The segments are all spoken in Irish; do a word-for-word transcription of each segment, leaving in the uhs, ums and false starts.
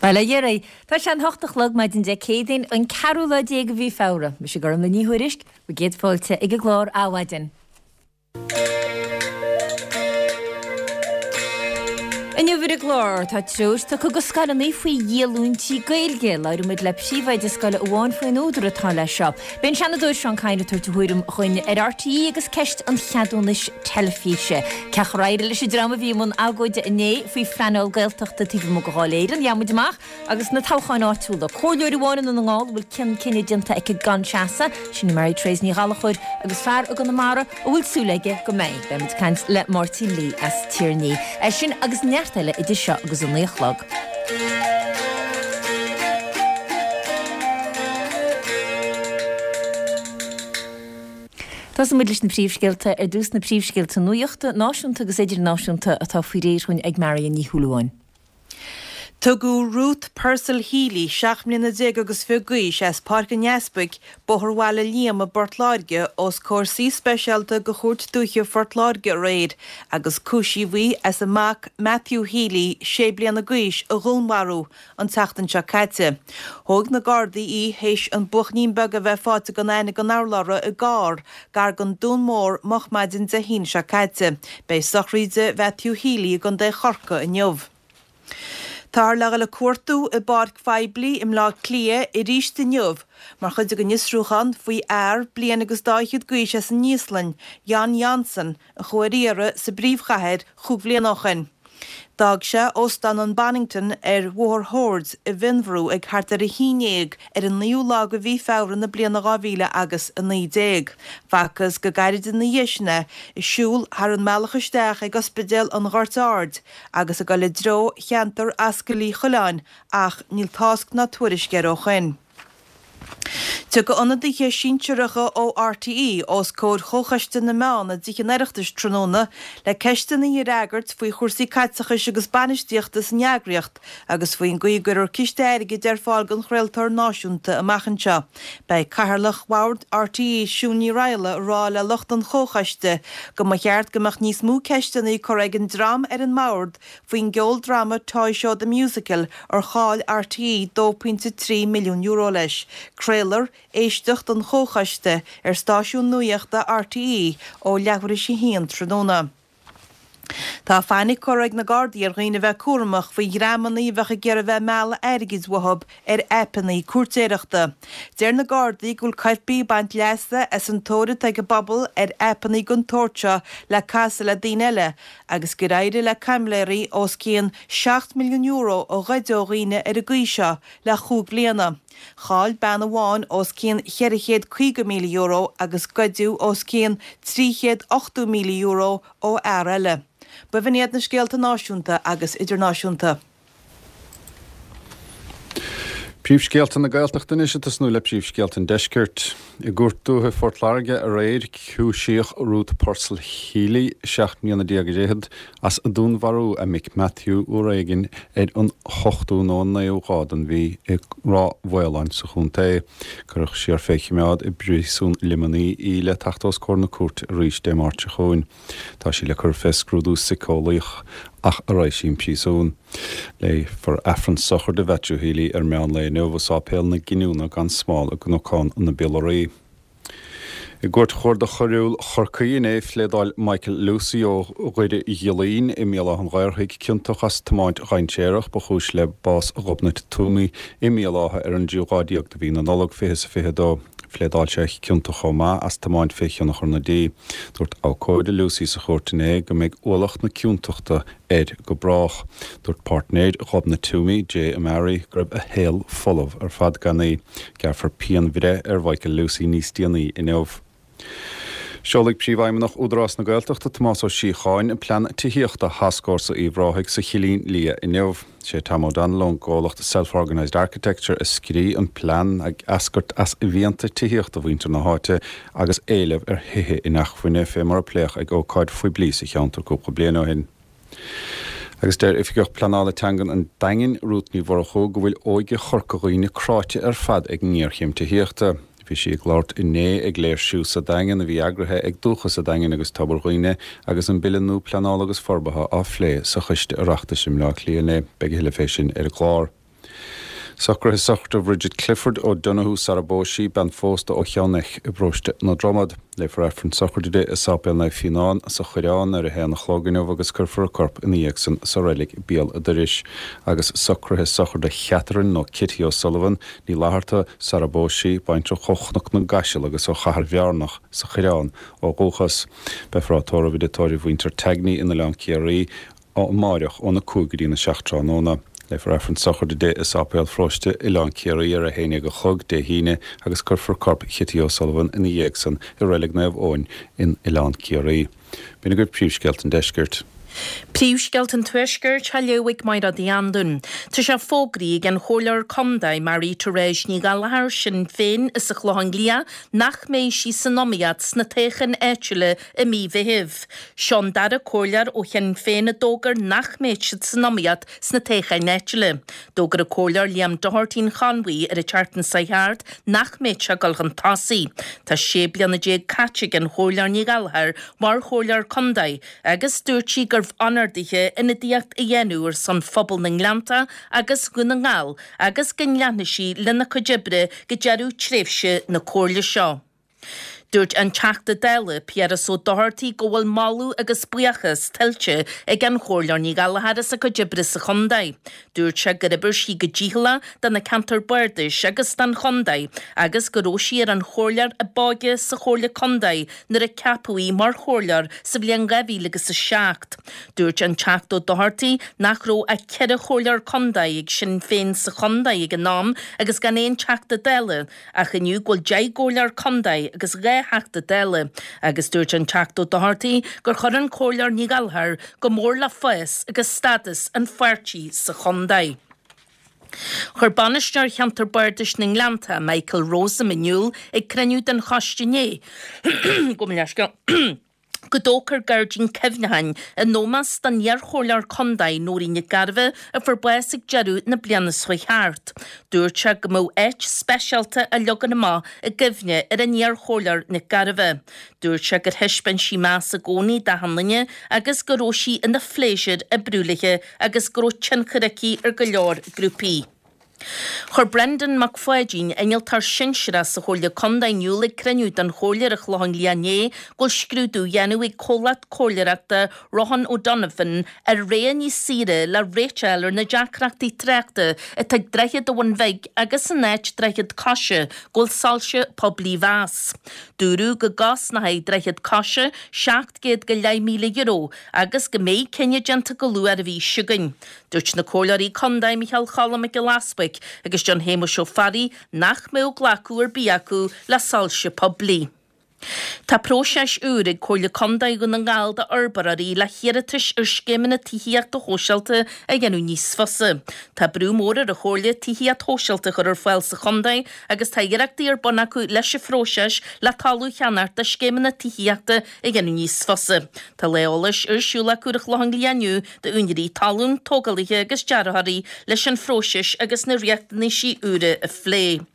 Bail ó Dhia oraibh. Tá sé an hocht a chlog maidin Dé Céadaoin, an ceathrú lá déag de mhí Feabhra. Mise Gormlaith Ní Thuairisg, bhur gcéad fáilte ag an gclár Adhmhaidin. Inniu ar an gclár, tá treoir tugtha do scoileanna faoi dhíolúintí Gaeilge. Labhróidh muid le príomhoide scoile amháin faoin údar atá leis seo. Beidh an Seanadóir Seán Kyne ag tabhairt a thuairim dhúinn ar RTÉ agus ceist an cheadúnais teilifíse. Cén chaoi ar éirigh leis an dream a bhí i mbun agóide inné faoi phleanáil Gaeltachta taobh amuigh de Dháil Éireann. Gheobhaidh muid amach agus na toghcháin áitiúla. Comhairleoir amháin i nDún na nGall a bhfuil cion cinneadh déanta aici gan seasamh, sin í Mary Therese Ní Ghallchóir, agus fear i gConamara a bhfuil súil aige go mbeidh. Beidh muid ag caint le Máirtín Lee as Tír an Fhia. É sin agus neart eile idir seo agus a naoi a chlog. Tosóidh muid leis na príomhscéalta ar dtús, na príomhscéalta nuachta, náisiúnta agus idirnáisiúnta atá faoi réir dhúinn ag Marion Ní Shúilleabháin. Tugadh Ruth Purcell Healy, seacht mbliana déag agus fiche d'aois, as Páirc an Easpaig, Bóthar Bhaile Liam i bPort Láirge, os comhair suí speisialta de Chúirt Dúiche Phort Láirge aréir agus cúisíodh í as a mac Matthew Healy, sé bliana d'aois, a dhúnmharú an tseachtain seo caite. Thóg na Gardaí í théis an buachaillín beag a bheith faighte gan aithne gan urlabhra i gcarr gar don Dún Mór moch maidin Dé hAoine seo caite. Beidh sochraid Mhatthew Healy i gContae Chorcaí inniu. Táthar le dhul ag cuartú i bpáirc phoiblí i mBleá Cliath arís inniu mar chuid den fhiosrúchán faoi fhear bliain agus dá fhichead d'aois as an Íoslainn, Jon Jonsson, a chuaigh ar iarraidh sa bpríomhchathair chúig bhliana ó shin. D'fhág sé Óstán an Bonnington ar Bhóthar Shoird i bhFionnbhrú ag thart ar a haon dhéag ar an naoú lá de mhí Feabhra na bliana dhá mhíle agus a naoi déag. Facthas go gairid ina dhiaidh sin é ag siúl thar an mbealach isteach ag Ospidéal an Ghoirt Aird agus ag dul i dtreo cheantar Ascaill Uí Choileáin ach níl tásc ná tuairisc air ó shoin. Tiocfaidh ionadaithe sinsearacha ó RTÉ os comhair Chomhchoiste na Meán i dTithe an Oireachtais tráthnóna le ceisteanna a fhreagairt faoi chúrsaí caiteachais agus bainistíochta san eagraíocht agus faoin gcaoi a gcuirfear ciste airgid ar fáil don chraoltóir náisiúnta amach anseo. Beidh Cathaoirleach Bhord RTÉ, Siún Ní Raghallaigh, ag rá le lucht an Chomhchoiste go mba cheart go mbeadh níos mó ceisteanna curtha ag an dream ar an mbord faoin gceoldráma Toy Show The Musical ar chaill RTÉ dó pointe trí milliún euro leis. Craolfar éisteacht an Chomhchoiste ar stáisiún nuachta RTÉ ó leathuair théis a haon tráthnóna. Tá fainic curtha ag na Gardaí ar dhaoine a bheith cúramach faoi dhreamanna a bheadh ag iarraidh bheith ag mealladh airgid uathu ar aipeanna cúirtéireachta. Deir na Gardaí go bhfuil coirpigh ag baint leasa as an tóir atá ag an bpobal ar aipeanna den tsórt seo le casadh le daoine eile agus gur éirigh le caimiléirí os cionn seacht milliún euro a ghoid ó dhaoine ar an gcaoi seo le chúig bliana. Chaill bean amháin os cionn cheithre chéad caoga míle euro agus goideadh os cionn trí chéad ochtó míle euro ó fhear eile. B'in iad na scéalta náisiúnta agus idirnáisiúnta. Príomhscéalta na Gaeltachta anois ag tosnú le príomhscéalta an Deiscirt. I gCúirt Dúiche Phort Láirge aréir cúisíodh Ruth Purcell Healy, seacht mbliana déag is fichead, as dúnmharú a mic Matthew uair éigin ar an ochtú nó an naoú lá den mhí i Ráth Mhaoláin sa chontae. Cuireadh siar fé choimeád i bpríosún Luimnigh í le teacht os comhair na cúirte arís Dé Máirt seo chugainn. Tá sí le cur fé scrúdú síceolaíoch ach a raghaidh sí 'on príosún. Léifear Aifreann sochraide Mhatthew Healy ar meán lae inniu i Sáipéal na Giniúna gan Smál i gCnocán na bPiollarí. I gCúirt Chuarda Choiriúil Chorcaí inné phléadáil Michael Lucey ó Dhoire Ghiollaín i mBéal Átha an Ghaorthaidh ciontach as tiomáint dhainséarach ba chúis le bás Ghobnait Twomey i mBéal Átha ar an dtríú lá déag de mhí na Nollag fiche is a fiche dó. Phléadáil sé ciontach chomh maith as tiomáint fé thionchar na dí. Dúirt abhcóide Lucey sa chúirt inné go mbeidh ualach na ciontachta air go brách. Dúirt páirtnéir Ghobnait Twomey, Jay Amari, go raibh a shaol folamh ar fad gan í. Gearrfar pianbhreith ar Mhichael Lucey níos déanaí inniu. Seolfaidh Príomhfheidhmeannach Údarás na Gaeltachta Tomás Ó Síocháin an plean tithíochta Thascfhórsa Uíbh Ráthaigh sa Chillín Liath inniu. Sé Tom O'Donnell ón gcomhlacht Self Organised Architecture a scrígh an plean ag eascairt as mhianta tithíochta mhuintir na háite agus éileamh ar thithe inacmhainne fé mar a pléadh ag ócáid phoiblí sa cheantar cúpla bliain ó shin. Agus deir Oifigeach Pleanála Teangan an Daingin, Rút Ní Mhurchú, go bhfuil óige Chorca Dhuibhne cráite ar fad ag an ngéarchéim tithíochta. Bhí sí ag labhairt inné ag léirsiú sa Daingean a bhí eagraithe ag Dúchas an Daingin agus Tobar Dhuibhne agus an Bille nua Pleanála agus Forbartha á phlé sa Choiste Oireachtais i mBleá Cliath inné. Beidh a thuilleadh fé sin ar an gclár. Socruithe sochraide Bridget Clifford O'Donoghue sara bpós sí, bean phósta ó Cheann Eich i bparóiste na Dromad. Léifear Aifreann sochraide di i Sáipéal Naomh Fionán sa Choireán ar a haon a chlog inniu agus cuirfear a corp ina dhiaidh san sa reilig béal an dorais. Agus socruithe sochraide Chatherine nó Kitty O'Sullivan, Ní Fhlatharta, sara bpós sí, baintreach ó Chnoc na gCaiseal agus ó Chathair Bhearnach sa Choireán ó dhúchas. Beifear á tórramh i dtigh tórraimh mhuintir Tagney in Oileán Ciarraí amáireach óna cúig go dtína seacht tráthnóna. Léifear Aifreann sochraide di i Sáipéal Pharóiste Oileán Ciarraí ar a haon déag a chlog Dé hAoine agus cuirfear corp Chitty O'Sullivan ina dhiaidh san i Reilig Naomh Eoin in Oileán Ciarraí. B'in agaibh príomhscéalta an deiscirt. Príomhscéalta an Tuaiscirt á léamh ag Máire Uí Anluain. Tá sé fógraithe ag an Chomhairleoir Contae Marie Therese Ní Ghallchóir Sinn Féin as an Chlochán Liath nach mbeidh sí san iomaíocht sna toghcháin áitiúla i mí Mheithimh. Seo an dara comhairleoir ó Shinn Féin a d'fhógair nach mbeidh siad san iomaíocht sna toghcháin áitiúla. D'fhógair an Comhairleoir Liam Doherty an Chonmhaigh ar an tseachtain seo thart nach mbeidh sé ag dul chun tosaigh. Tá sé bliana déag caite ag an Chomhairleoir Ní Ghallchóir mar Chomhairleoir Contae agus dúirt sí gurbh onóir dithe ionadaíocht a dhéanamh ar son phobal na nGleannta agus Dhún na nGall agus go leanfaidh sí lena cuid oibre go deireadh tréimhse na comhairle seo. Dúirt an Teachta Dála Piaras Ó Dochartaigh go bhfuil moladh agus buíochas tuillte ag an Chomhairleoir Ní Ghallchóir as a cuid oibre sa chontae. Dúirt sé gur oibir sí go dícheallach do na ceantair bardais agus don chontae agus go raibh sí ar an chomhairleoir ab óige sa Chomhairle Contae nuair a ceapadh í mar chomhairleoir sa bhliain dhá mhíle agus a seacht. Dúirt an Teachta Ó Dochartaigh nach raibh ach ceithre chomhairleoir contae ag Sinn Féin sa chontae ag an am agus gan aon Teachta Dála ach inniu go bhfuil deich gcomhairleoir contae agus dhá Theachta Dála agus dúirt an Teachta Ó Dochartaigh gur chuir an Comhairleoir Ní Ghallchóir go mór le fás agus stádas an pháirtí sa chontae. Chuir bainisteoir cheantar Bardais na nGleannta Michael Rosam in iúl ag cruinniú den choiste inné go leisce go dtógfar gairdín cuimhneacháin in ómós don iar-chomhairleoir contae Nóirín Nic Gairbheith a fuair bás ag deireadh na bliana seo thart. Dúirt sé go mbeadh áit speisialta á leagan amach i gcuimhne ar an iar-chomhairleoir Nic Gairbheith. Dúirt sé gur thaispeáin sí meas i gcónaí d'achan duine agus go raibh sí ina phléisiúr oibriú léi agus go raibh tionchar aici ar go leor grúpaí. Chuir Brendan Mac Pháidín, innealtóir sinsearach sa Chomhairle Contae in iúl ag cruinniú den Chomhairle ar an Chlochán Liath inné go bhfuil scrúdú á dhéanamh ag comhlacht comhairleoireachta Rohan O'Donovan ar rogha níos saoire le réiteach ar na deacrachtaí tráchta atá ag Droichead an Bhun Bhig agus san áit Droichead Coise go bhfuil soilse poiblí á mheas. Dúradh go gcosnóidh Droichead Coise seacht gcéad go leith míle euro agus go mbeidh cinneadh déanta go luath ar an mhí seo chugainn. Dúirt na comhairleoirí contae Micheál Cholm Mac Giolla Easbuig agus John Shéamuis Ó Fearraigh nach mbeadh glacadh ar bith acu le soilse poiblí. Tá próiseas úr ag Comhairle Contae Dhún na nGall d'fhorbróirí le hiarratais ar scéimeanna tithíochta shóisialta a dhéanamh níos fusa. Tá brú mór ar an Chomhairle tithíocht shóisialta a chur ar fáil sa chontae agus tá iarrachtaí ar bun acu leis an phróiseas le talamh a cheannacht do scéimeanna tithíochta a dhéanamh níos fusa. Tá lá eolais ar siúl acu ar an Chlochán Liath inniu d'úinéirí talún, tógálaithe agus dearthóirí leis an phróiseas agus na riachtanaisí úra a phlé.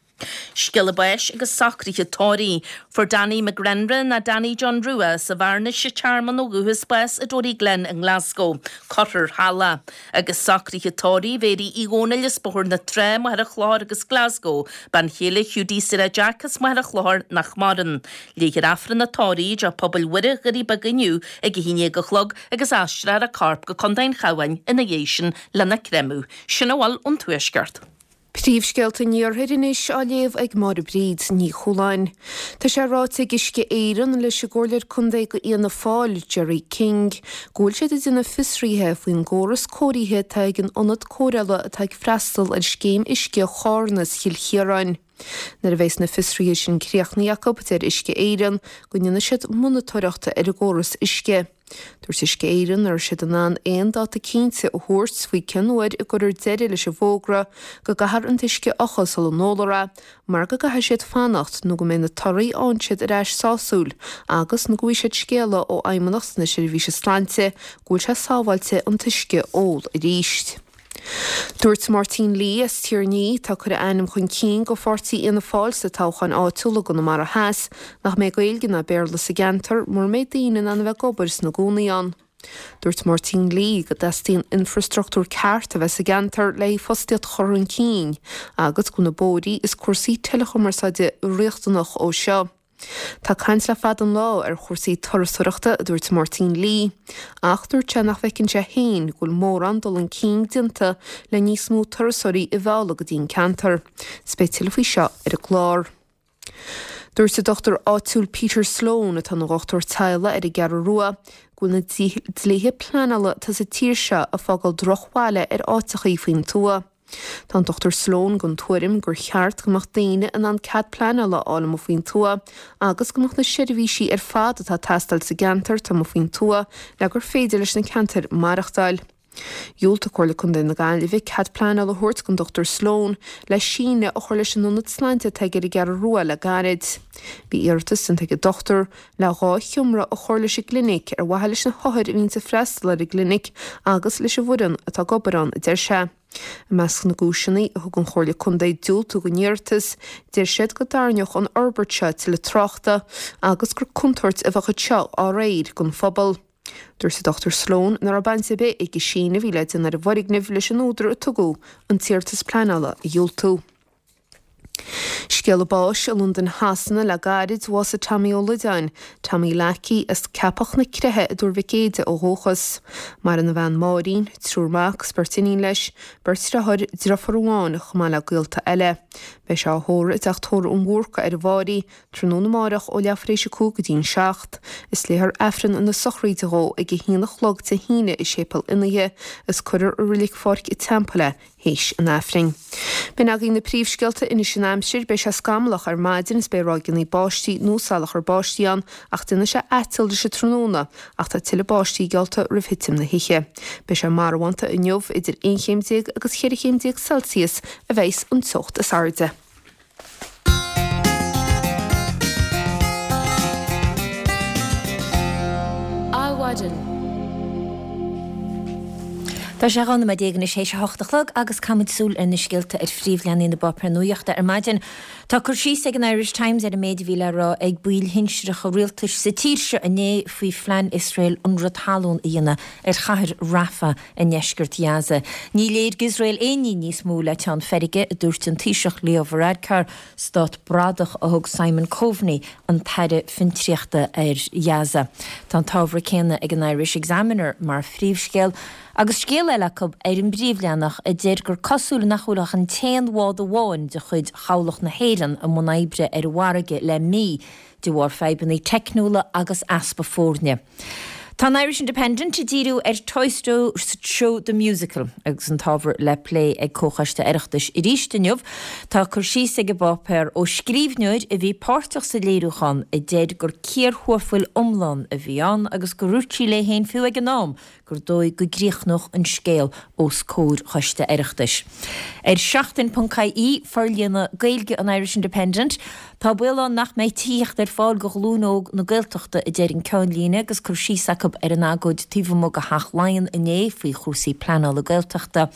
Scéala báis agus socruithe tórraimh. Fuair Danny McGrenra ná Danny John Rua sa Bhearnais sa Tearmann ó dhúchas bás i Toryglen i nGlasgow, Cothair Halla, agus socruithe tórraimh Mhéirí Uí Dhónaill as Bóthar na Trá, Machaire Chlochair agus Glasgow, bean chéile Hiúdaí Sarah Jack as Machaire Chlochair nach maireann. Léifear Aifreann an tórraimh i dTeach Pobail Mhuire, Dhoirí Beaga inniu ag a haon déag a chlog agus aistreofar a corp go Contae an Chabháin ina dhiaidh sin lena chréamadh. Sin a bhfuil ón Tuaisceart. Príomhscéalta an Iarthair anois á léamh ag Máire Bríd Ní Chualáin. Tá sé ráite ag Uisce Éireann leis an gcomhairleoir contae do Fhianna Fáil, Gerry King, go bhfuil siad ag déanamh fiosraithe faoin gcóras cóirithe atá ag an ionad cóireála atá ag freastal ar scéim uisce Chárna is Chill Chiaráin. Nuair a bheas na fiosruithe sin críochnaithe acu, deir Uisce Éireann go ndéanfaidh siad monatóireacht ar an gcóras uisce. Dúirt Uisce Éireann nach raibh siad in ann aon dáta cinnte a thabhairt faoi cén uair a gcuirfear deireadh leis an bhfógra go gcaithfear an t-uisce a fhiuchadh sula n-ólfar é, mar go gcaithfidh siad fanacht nó go mbeidh na torthaí a fhaigheann siad ar ais sásúil agus nó go bhfaighidh siad scéala ó Fheidhmeannacht na Seirbhíse Sláinte go bhfuil sé sábháilte an t-uisce a ól arís. Dúirt Máirtín Lee as Tír an Fhia, atá ag cur a ainm chun cinn do pháirtí Fhianna Fáil sa toghchán áitiúil i gConamara Theas, nach mbeidh Gaeilge ná Béarla sa gceantar mura mbeidh daoine in ann a bheith ag obair is ina gcónaí ann. Dúirt Máirtín Lee go dteastaíonn infrastruchtúr ceart a bheith sa gceantar le fostaíocht a chur chun cinn agus go bhfuil na bóithrí is cúrsaí teileachumarsáide riachtanach ó seo. Tá caint le fada an lá ar chúrsaí turasóireachta, a dúirt Máirtín Lee, ach dúirt sé nach bhfeiceann sé féin go bhfuil mórán dul chun cinn déanta le níos mó turasóirí a mhealladh go dtí an ceantar. 'S beidh tuilleadh faoi seo ar an gclár. Dúirt an dochtúir áitiúil Peter Sloane, atá ina dhochtúir teaghlaigh ar an gCeathrú Rua, go bhfuil na dlíthe pleanála atá sa tír seo ag fágáil drochbhaile ar áiteachaí faoin tuath. Tá an Dochtúir Sloane den tuairim gur cheart go mbeadh daoine in ann cead pleanála a fháil amuigh faoin tuath agus go mbeadh na seirbhísí ar fad atá ag teastáil sa gceantar taobh amuigh faoin tuath le gur féidir leis na ceantair maireachtáil. Dhiúltaigh Comhairle Contae na Gaillimhe cead pleanála a thabhairt don Dochtúir Sloane le síneadh a chur leis an ionad sláinte atá aige ar an gCeathrú Rua le gairid. Bhí iarratas déanta ag an dochtúir le dhá sheomra a chur leis an gclinic ar mhaithe leis na hothair a bhíonns ag freastal ar an gclinic agus leis an bhfoireann atá ag obair ann, a deir sé. I measc na gcúiseanna a thug an Chomhairle Contae diúltú don iarratas, deir siad go dtarraingeodh an fhorbairt seo tuilleadh tráchta agus gur contúirt a bheadh anseo á réir don phobal. Dúirt an Dochtúir Sloane nach raibh baint ar bith ag an síneadh a bhí le déanamh ar an bhfoirgneamh leis an údar a tugadh an t-iarratas pleanála a dhiúltú. Scéala báis i Londain Shasana le gairid, bhásaigh Tommy Ó Loideáin, Tommy Lackey, as Ceapach na Creiche i dTuar Mhic Éide ó dhúchas. Maireann a bhean Máirín, triúr mac 's beirt iníon leis, beirt deartháir, deirfiúr amháin, chomh maith le gaolta eile. Beidh sé á thórramh i dTeach Tórraimh an Bhúrcaigh ar an bhFáirí, tráthnóna amárach ó leathuair tar éis a cúig go dtí an seacht. Is léifear Aifreann na sochraide dhó ag a haon a chlog Dé hAoine i Séipéal Fhionnaithe is cuirfear i Reilig Pháirc an Teampaill é théis an Aifrinn. B'in agaibh na príomhscéalta anois an aimsir, beidh sé scamallach ar maidin is beidh ráigeanna báistí nó salachar báistí ann ach déanfaidh sé aiteal leis an tráthnóna ach tá tuilleadh báistí geallta roimh thitim na hoíche. Beidh sé marbhánta inniu, idir aon chéim déag agus cheithre chéim déag Celsius a bheas an teocht is airde. Adhmhaidin. Tá sé dhá nóiméad déag anois théis a hocht a chlog agus caithfimid súil ar na scéalta ar phríomhleathanaigh na bpáipéar nuachta ar maidin. Tá cur síos ag an Irish Times ar an méid a bhí le rá ag baill shinsearacha rialtais sa tír seo inné faoi phlean Iosrael ionradh talún a dhéanamh ar chathair Rafah i ndeisceart Ghaza. Ní léir d'Iosrael aon ní níos mó le teann feirge, a dúirt an Taoiseach Leo Varadkar. Stát bradach a thug Simon Coveney, an tAire Fiontraíochta, ar Ghaza. Tá an t-ábhar céanna ag an Irish Examiner mar phríomhscéal. Agus scéal eile acu ar an bpríomhleathanach a deir gur cosúil nach bhfuil ach an t-aon bhád amháin de chuid Chabhlach na hÉireann i mbun oibre ar an bhfarraige le mí de bharr fadhbanna teicniúla agus easpa foirne. Tá an Irish Independent ag díriú ar Toy Show The Musical agus an t-ábhar le plé ag Comhchoiste Oireachtais arís inniu. Tá cur síos ag an bpáipéar ó scríbhneoir a bhí páirteach sa léiriúchán a deir gur cíor thuarfail iomlán a bhí ann agus gur dhúirt sí léi féin fiú ag an am gur dóigh go gcríochnódh an scéal os comhair Choiste Oireachtais. Ar Seachtain ponc IE, forlíonadh Gaeilge an Irish Independent, tá baol ann nach mbeidh tithíocht ar fáil do ghlúin óg na Gaeltachta, a deir an ceannlíne agus cur síos acu ar an agóid taobh amuigh de Theach Laighean inné faoi chúrsaí pleanála Gaeltachta.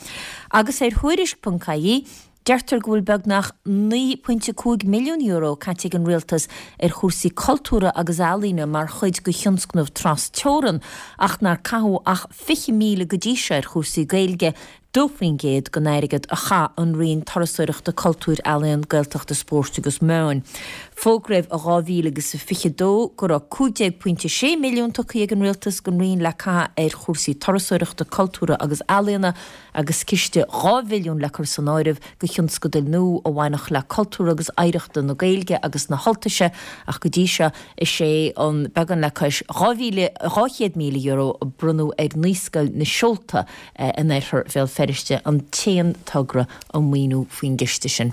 Agus ar Thuairisc ponc IE, Deirtear go bhfuil beagnach naoi pointe cúig milliún euro caite ag an Rialtas ar chúrsaí cultúrtha agus ealaíne mar chuid de thionscnamh tras-teorann ach nár caitheadh ach fiche míle go dtí seo ar chúrsaí Gaeilge, dó faoin gcéad den airgead a chaith an Roinn Turasóireachta, Cultúir, Ealaíon, Gaeltachta, Spóirt agus Meáin. Fógraíodh i dhá mhíle agus a fiche dó go raibh cúig déag pointe sé milliún tugtha ag an Rialtas don Roinn le caitheamh ar chúrsaí turasóireachta, cultúrtha agus ealaíona, agus ciste dhá mhilliún le cur san áireamh do thionscadail nua a bhainfeadh le cultúr agus oidhreachta na Gaeilge agus na hUltaise ach go dtí seo is é an beagán le cois dhá mhíle dhá chéad míle euro a bronnadh ar Naíscoil na Seolta in oirthear Bhéal Feirste an t-aon togra a maoiniú faoin gciste sin.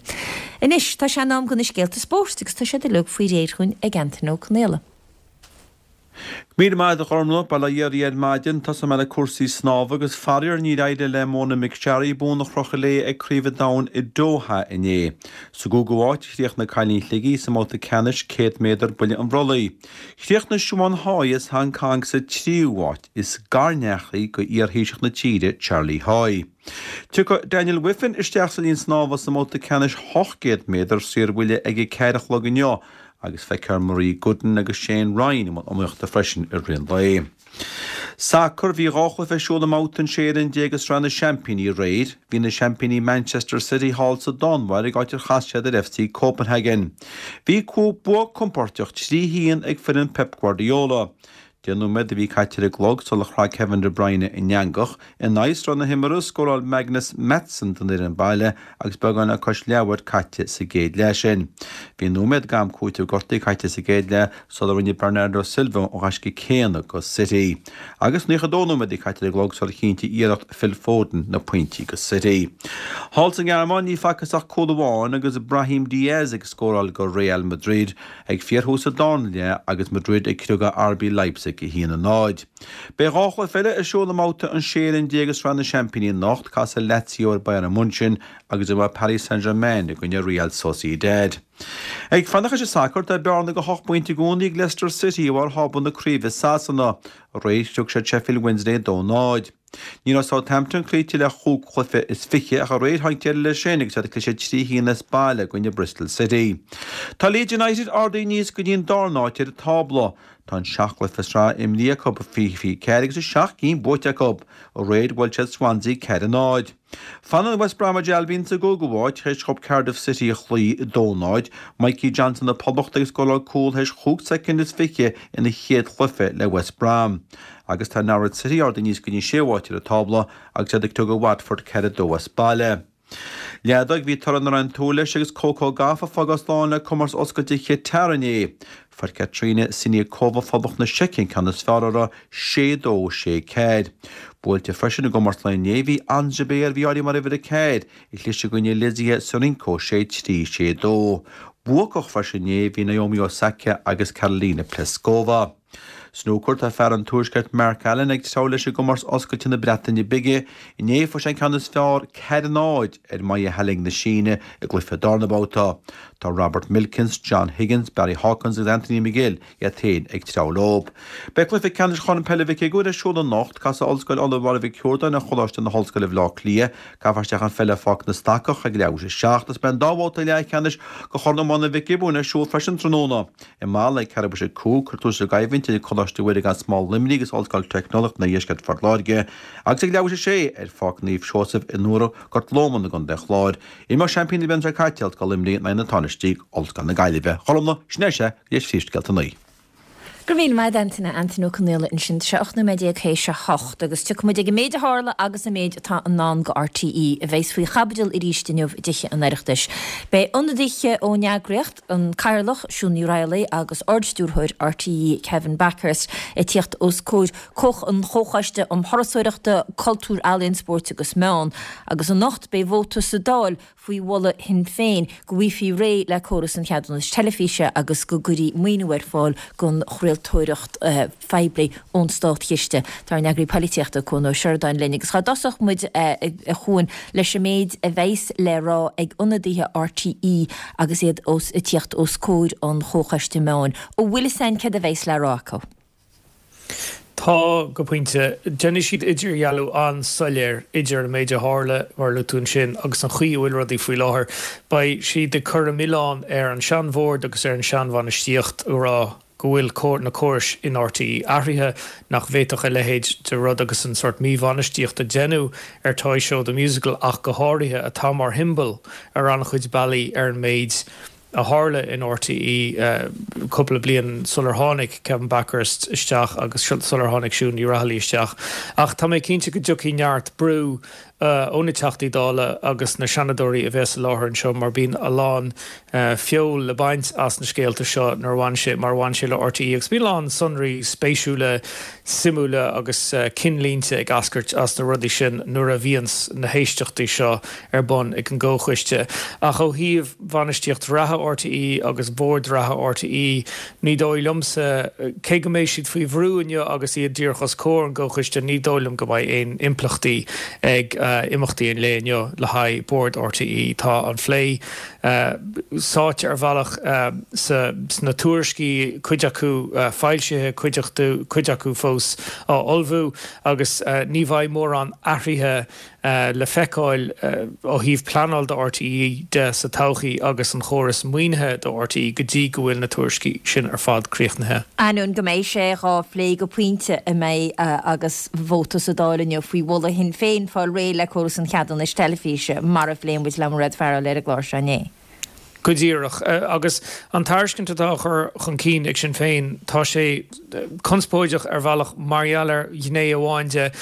Anois tá sé in am do na scéalta spóirt agus tá siad uilig faoi réir chugainn ag Antaine Ó Conaola. Míle maith agat a Ghormfhlaith, bail ó Dhia oraibh ar maidin. Tosóidh mé le cúrsaí snámha agus faraor níor éirigh le Mona McSharry bonn a chrochadh léi ag Craobh an Domhain i Doha inné. Sa gcúigiú háit a chríochnaigh cailín Shligigh sa mbabhta ceannais céad méadar buille an bhrollaigh. Chríochnaigh Siobhán Haughey as Hong Kong sa tríú háit. Is garneacht í go iar-Thaoiseach na tíre, Charlie Haughey. Tiocfaidh Daniel Wiffen isteach sa linn snámha sa mbabhta ceannais ocht gcéad méadar saorbhuille ag a ceathair a chlog inniu agus feicfear Marie Gooden agus Shane Ryan i mbun iomaíochta freisin i rith an lae. Sacar bhí dhá chluiche ar siúl i mbabhta an sé fhoireann déag de Shraith na Seaimpíní aréir. Bhí na seaimpíní Manchester City thall sa Danmhairg áit ar chas siad ar FC Copenhagen. Bhí bua compóirteach trí haon ag foireann Pep Guardiola. Deich nóiméad a bhí caite ar an gclog sular chraith Kevin De Bruyne an eangach. In aghaidh sruth na himeartha, scóráil Magnus Mattsson don fhoireann baile agus beagán le cois leathuair caite sa gcéad leath sin. Bhí nóiméad d'am cúitimh gortaithe caite sa gcéad leath sular rinne Bernardo Silva an gaisce céanna go City. Agus naocha dó nóiméad a bhí caite ar an gclog sular chinntigh iarracht Phil Foden na pointí go City. Thall sa nGearmáin ní facthas ach cúl amháin agus Brahim Diaz ag scóráil go Real Madrid ag fíorthús an darna leath agus Madrid ag criogadh RB Leipzig a haon a náid. Beidh dhá chluiche eile ar siúl i mbabhta an sé fhoireann déag de Shraith na Seaimpíní anocht, casfaidh Lazio ar Bayern München agus imreoidh Paris Saint-Germain i gcoinne Real Sociedad. Ag fanacht leis an sacar, tá bearna de hocht bpointe i gcónaí ag Leicester City i bharr thábla na craoibhe i Sasana. Aréir chriog siad Sheffield Wednesday dó náid. Ní raibh Southampton cloíte le chúig chluiche is fiche ach aréir tháinig deireadh leis sin agus iad ag cliseadh trí haon as baile i gcoinne Bristol City. Tá Leeds United ardaithe aníos go dtí an darna háit ar an tábla. Tá an seacht gcluiche sraithe imrithe acu, fiche fiche ceathair agus a seacht gcinn buaite acu. Aréir bhuail siad Swansea ceathair a náid. Fanann West Bromwich Albion sa gcúigiú háit théis dhóibh Cardiff City a chloí a dó náid. Mikey Johnston na Poblachta ag scóráil cúl théis chúig soicind is fiche ina chéad chluiche le West Brom. Agus tá Norwich City ardaithe aníos go dtí an séú háit ar an tábla agus iad ag criogadh Watford ceathair a dó as baile. Leadóg bhí toradh nach raibh aon tsúil leis agus Coco Gauff ag fágáil slán le Comórtas Oscailte Chatar inné. Fuair Katerina Siniakova Phoblacht na Seice an ceann is fearr uirthi, sé dó, sé ceathair. Buailte freisin i gcomórtas lae inné bhí Ons Jabeur a bhí áirithe mar uimhir a ceathair, ag cliseadh i gcoinne Lesia Tsurenko, sé trí, sé dó. Buacach freisin inné bhí Naomi Osaka agus Karolina Pliskova. Snúcar Tá fear an Tuaiscirt Mark Allen ag treabhadh leis i gcomórtas Oscailte na Breataine Bige. Inné fuair sé an ceann is fearr, ceathair a náid, ar Ma Hailing na Síne i gcluiche darna babhta. Tá Robert Milkins, John Higgins, Barry Hawkins agus Anthony McGill iad féin ag treabhadh leo. Beidh cluiche ceannais Chorn Peile Mhic Uidhir ar siúl anocht, casfaidh Ollscoil Uladh Mháire Mhic Shiúrdáin ar Choláiste na hOllscoile Bhaile Átha Cliath. Caithfear isteach an pheil ar Pháirc na Stacach ag leathuair tar éis a seacht agus beidh an dá bhabhta leathcheannais de Chorn Iomána Mhic Giobúin ar siúl freisin tráthnóna. I Mala ag ceathrú tar éis a cúig, cuirfear tús le coimhlint idir Coláiste Mhuire gan Smál Luimnigh agus Ollscoil Teicneolaíochta an Oirdheiscirt Phort Láirge agus ag leathuair tar éis a sé ar Pháirc Naomh Seosamh i nDobhar Gort Lóman i gContae an Chláir. Imreoidh seaimpíní na bliana seo caite Ollscoil Luimnigh in aghaidh na tánaistí Ollscoil na Gaillimhe. A Ghormfhlaith, sin é sea, go dtí Príomhscéalta a naoi. Go raibh míle maith agat Antaine, Antaine Ó Conghaile ansin. Tá sé ocht nóiméad déag théis a hocht agus tiocfaidh muid ag an méid a tharla agus an méid atá i ndán go RTÉ a bheas faoi chaibidil arís inniu i dTithe an Oireachtais. Beidh ionadaithe ón eagraíocht, an Cathaoirleach Siún Ní Raghallaigh agus Ardstiúrthóir RTÉ Kevin Bakhurst ag tíocht os comhair an Chomhchoiste um Thurasóireachta, Cultúr, Ealaíon, Spóirt agus Meán agus anocht beidh vóta sa Dáil faoi mholadh Shinn Féin go bhfaighfí réidh le córas an cheadúnais teilifíse agus go gcuirfí maoiniú ar fáil don chraoltóireacht phoiblí ón státchiste. Tá ár n-eagraí polaitíochta Cuan Ó Seireadáin linn agus dá dtosódh muid a Chuain leis an méid a bheas le rá ag ionadaithe RTÉ agus iad os ag tíocht os comhair an Chomhchoiste Meáin. An bhfuil fhios againn céard a bheas le rá acu? Tá, go pointe. Déanfaidh siad idirdhealú an-soiléir idir an méid a tharla, mar a luaigh tú ansin, agus an chaoi a bhfuil rudaí faoi láthair. Beidh siad ag cur an milleán ar an seanbhord agus ar an seanbhainistíocht, ag rá go bhfuil na córais in RTÉ athraithe, nach bhféadfadh a leithéid de rud agus an sórt míbhainistíocht a deineadh ar Toy Show The Musical ach go háirithe, atá mar shiombail ar an-chuid bealaí ar an méid a tharla in RTÉ cúpla bliain sular tháinig Kevin Bakhurst isteach agus sular tháinig Siún Ní Raghallaigh isteach. Ach tá mé cinnte go dtiocfaidh neart brú ó na Teachtaí Dála agus na Seanadóirí a bheas i láthair anseo mar bíonn a lán feoil le baint as na scéalta seo nuair a bhain sé mar a bhain sé le RTÉ agus bíonn a lán sonraí spéisiúla, suimiúla agus cinnlínte ag eascairt as na rudaí sin nuair a bhíonns na héisteachtaí seo ar bun ag an gComhchoiste. Ach ó thaobh bhainistíocht reatha RTÉ agus bhord reatha RTÉ, ní dóigh liomsa, cé go mbeidh siad faoi bhrú inniu agus iad díreach os comhair an gComhchoiste, ní dóigh liom go mbeidh aon impleachtaí ag imeachtaí an lae inniu le haghaidh Bord RTÉ. Tá an phlé sáite ar bhealach sna tuairiscí, cuid acu foilsithe, cuid acu fós á ullmhú, agus ní bheidh mórán athruithe le feiceáil ó thaobh pleanáil do RTÉ de sa todhchaí agus an chóras maoinithe do RTÉ go dtí go bhfuil na tuairiscí sin ar fad críochnaithe. Ainneoin go mbeidh sé dhá phlé go pointe i mbeidh agus vóta sa Dáil inniu faoi mholadh Shinn Féin fáil réidh le córas an cheadúnais teilifíse mar a phléigh muid le Mairéad Farrell ar an gclár seo inné. Go díreach. Agus an tairiscint atá á chur chun cinn ag Sinn Féin, tá sé conspóideach ar bhealach mar gheall ar ghné amháin de.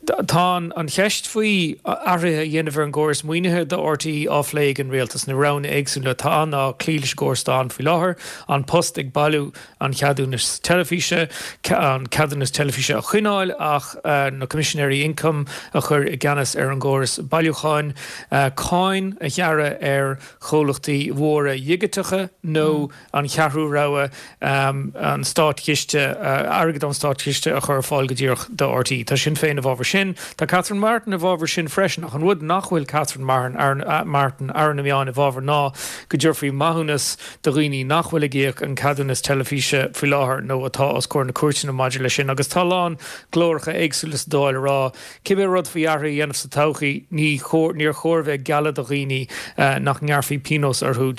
Tá an cheist faoi athruithe a dhéanamh ar an gcóras maoinithe do RTÉ á phlé ag an rialtas, na roghanna éagsúla atá ann ná cloí leis an gcóras atá ann faoi láthair, An Post ag bailiú an cheadúnais teilifíse, an ceadúnas teilifíse a choinneáil ach na Coimisinéirí Ioncaim a chur i gceannas ar an gcóras bailiúcháin, cáin a ghearradh ar chomhlachtaí mhóra dhigiteacha nó an cheathrú rogha, an státchiste, airgead ón státchiste a chur ar fáil go díreach do RTÉ. Tá Sinn Féin i bhfabhar sin. Tá Catherine Martin i bhfabhar sin freisin ach an rud nach bhfuil Catherine Martin, Aire na Meán, i bhfabhar ná go dtabharfaí maithiúnas do dhaoine nach bhfuil ag íoc an ceadúnas teilifíse faoi láthair nó atá os comhair na cúirteanna maidir leis sin agus tá a lán glóracha éagsúla sa Dáil ag rá cibé rud faoi athruithe a dhéanamh sa todhchaí ní níor chóir bheith ag gealladh do dhaoine nach ngearrfaí pionós orthu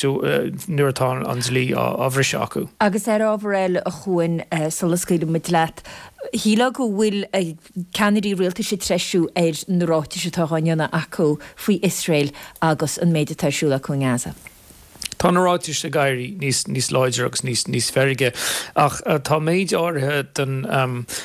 nuair atá an dlí á bhriseadh acu. Agus ar ábhar eile a Chuain, sula scaoilfidh muid leat, shílfeá go bhfuil ceannairí rialtais ag treisiú ar na ráitis atá á ndéanamh acu faoi Iosrael agus an méid atá ar siúl acu i nGaza. Tá na ráitis ag éirí níos níos láidre agus níos níos feirge ach tá méid áirithe den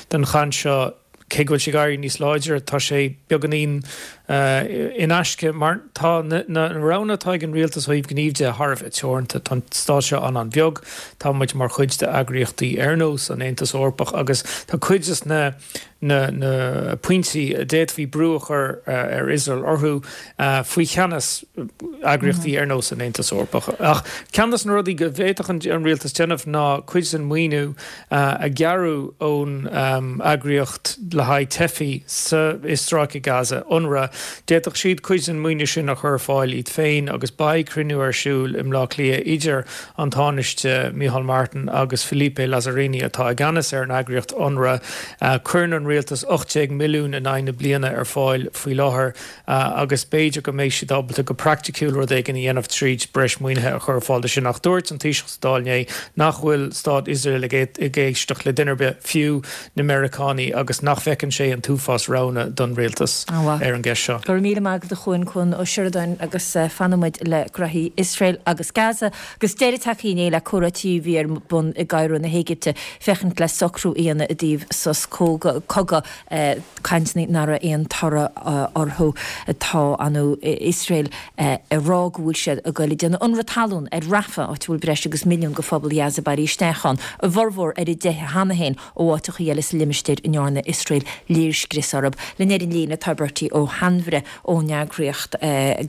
den chaint seo cé go bhfuil sé ag éirí níos láidre, tá sé beagáinín in aisce mar tá na roghanna atá ag an rialtas ó thaobh gnímh de thar a bheith teoranta. Tá an stát seo an-an-bheag, tá muid mar chuid d'eagraíochtaí ar nós an Aontas Eorpach agus tá cuid de na na pointí a d'fhéadfaí brú a chur ar Iosrael orthu faoi cheannas eagraíochtaí ar nós an Aontas Eorpach. Ach ceann de na rudaí go bhféadfadh an rialtas déanamh ná cuid den mhaoiniú a ghearradh ón eagraíocht le haghaidh teifigh sa i Stráice Gaza, UNRWA. D'fhéadfadh siad cuid den mhaoiniú sin a chur ar fáil iad féin agus beidh cruinniú ar siúl i mBleá Cliath idir an Tánaiste Micheál Martin agus Philippe Lazzarini atá i gceannas ar an eagraíocht UNRWA. Cuireann an rialtas ocht déag milliún in aghaidh na bliana ar fáil faoi láthair agus b'fhéidir go mbeidh siad ábalta go praiticiúil rud éigin a dhéanamh tríd breis maoinithe a chur ar fáil do sin. Ach dúirt an Taoiseach sa Dáil inné nach bhfuil stát Iosrael ag éisteacht le duine ar bith, fiú na Meiriceánaigh, agus nach bhfeiceann sé an t-uafás roghanna don rialtas ar an gceist seo. Go raibh míle maith agat a Chuain, Cuan Ó Seireadáin agus fanfaidh muid le graithí Iosrael agus Gaza agus deireadh tagtha inné le comhráití a bhí ar bun i gCairo na hÉigipte féachaint le socrú a dhéanamh i dtaobh sos cogaidh, cainteanna nach raibh aon toradh orthu. Tá an Iosrael ag rá go bhfuil siad ag goil ag déanamh ionradh talún ar Rafah, áit a bhfuil breis agus milliún de phobal Ghaza bailithe isteach ann, a bhformhór ar a dteitheadh cheana féin ó áiteacha eile sa limistéar a ndearna Iosrael léirscrios orthu. Linn ar an líne tá Bertie Ó hAinmhire ón eagraíocht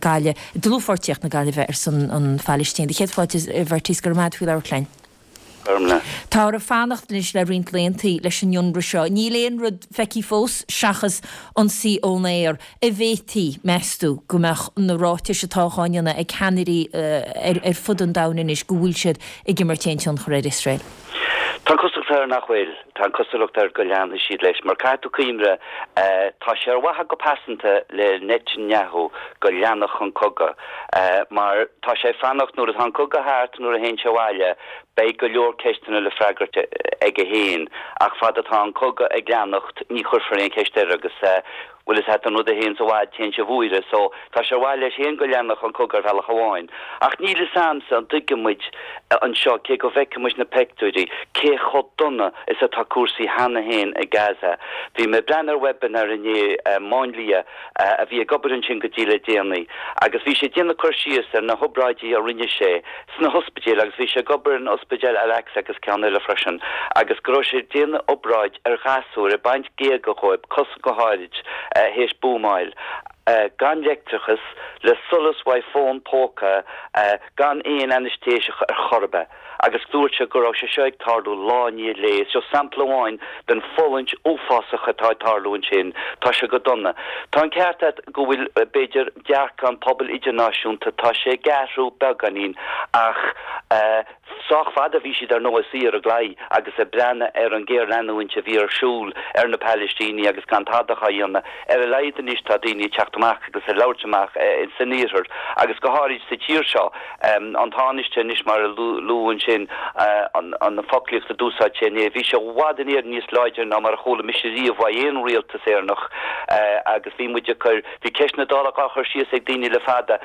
Gaillimh, Dlúthpháirtíocht na Gaillimhe ar son an Phalaistín. Do chéad fáilte a Bhertie is go raibh maith agat faoi labhairt linn. Táthar ag fanacht anois le roinnt laethanta leis an ionradh seo. Níl aon rud feicthe fós seachas ionsaí ón aer. An bhféadfaí, meas tú, go mbeadh na ráitis atá á ndéanamh ag ceannairí ar fud an domhain anois go bhfuil siad ag imirt aon tionchar ar Iosrael? Tá an chosúlacht air nach bhfuil. Tá an chosúlacht air go leanfaidh siad leis. Mar caithfidh tú cuimhneamh, tá sé ar mhaithe go pearsanta le Netanyahu go leanfadh an cogadh. Mar tá sé ag fanacht nuair atá an cogadh thart, nuair a théann sé abhaile, beidh go leor ceisteanna le freagairt aige féin. Ach fad atá an cogadh ag leanacht, ní chuirfear aon cheist air agus bhfuil fhios a't an rud a théanns i bhfad, téann sé i bhfuaire. So, tá sé ar mhaith leis féin go leanfadh an cogadh ar bhealach amháin. Ach níl fhios a'msa an dtuigeann muid anseo, cé go bhfeiceann muid na peictiúirí, cé chomh dona is atá cúrsaí cheana féin i Gaza. Bhí mé ag breathnú ar webinar inné, máinlia a bhí ag obair ansin go dtí le déanaí, agus bhí sé ag déanamh cur síos ar na hobráidí a rinne sé sna hospidéil agus bhí sé ag obair in ospidéal Al-Aqsa agus ceann eile freisin, agus go raibh sé ag déanamh obráid ar ghasúir, ag baint géaga dhóibh, cosa go háirid, théis buamáil. gan leictreachas, le solas uaidh fón póca, gan aon ainéistéiseach ar chor ar bith. Agus dúirt sé go raibh sé seo ag tarlú lá i ndiaidh lae. Seo sampla amháin den fulaingt uafásach atá ag tarlú ansin. Tá sé go dona. Tá an ceart agat go bhfuil, b'fhéidir, dearcadh an pobail idirnáisiúnta, tá sé ag athrú beagáinín ach sách fada bhí siad ar ndóigh suí ar an gclaí agus ag breathnú ar an ghéarleanúint a bhí ar siúl ar na Palaistínigh agus gan tada á dhéanamh. Ar a laghad anois tá daoine ag teacht amach agus ag labhairt amach san iarthar agus go háirid sa tír seo. An Tánaiste anois mar a luadh ansin, an foclaíocht a d'úsáid sé inné, bhí sé i bhfad in Éirinn níos láidre ná mar a chuala mise riamh uaidh aon rialtas Éireannach agus bhí muid ag cur, bhí ceist na Dála á chur síos ag daoine le fada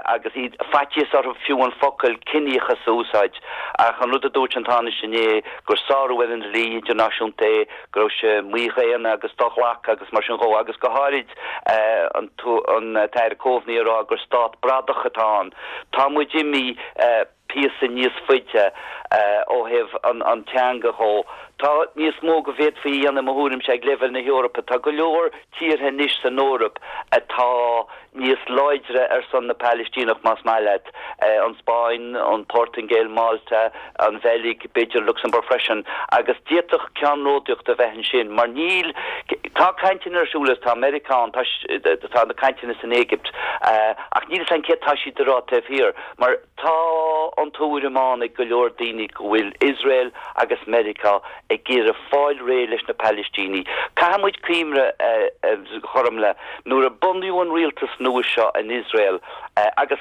agus iad, faitíos orthu fiú an focal ciníochas a úsáid. Ach an rud a dúirt an Tánaiste inné, gur sárú ar an dlí idirnáisiúnta é, go raibh sé mídhaonna agus do-ghlactha agus mar sin dhó, agus go háirid an tAire Coveney ag rá gur stát bradach atá ann. Tá muid imithe píosa níos faide ó thaobh an teanga dhó. Tá níos mó go bhféadfaí a dhéanamh i mo thuairimse ag leibhéal na hEorpa. Tá go leor tíortha anois san Eoraip atá níos láidre ar son na Palaistíneach más maith leat, an Spáinn, an Phortaingéil, Málta, an Bheilg, b'fhéidir Lucsamburg freisin, agus d'fhéadfadh ceannródaíocht a bheith ansin mar níl, tá cainteanna ar siúl agus tá Meiriceá ann, tá na cainteanna san Éigipt ach níl fhios a'm céard tá siad a rá taobh thiar mar tá an tuairim ann ag go leor daoine go bhfuil Iosrael agus Meiriceá ag iarraidh fáil réidh leis na Palaistínigh. Caithfidh muid cuimhneamh, a Ghormfhlaith, nuair a bunaíodh an rialtas nua seo in Iosrael, agus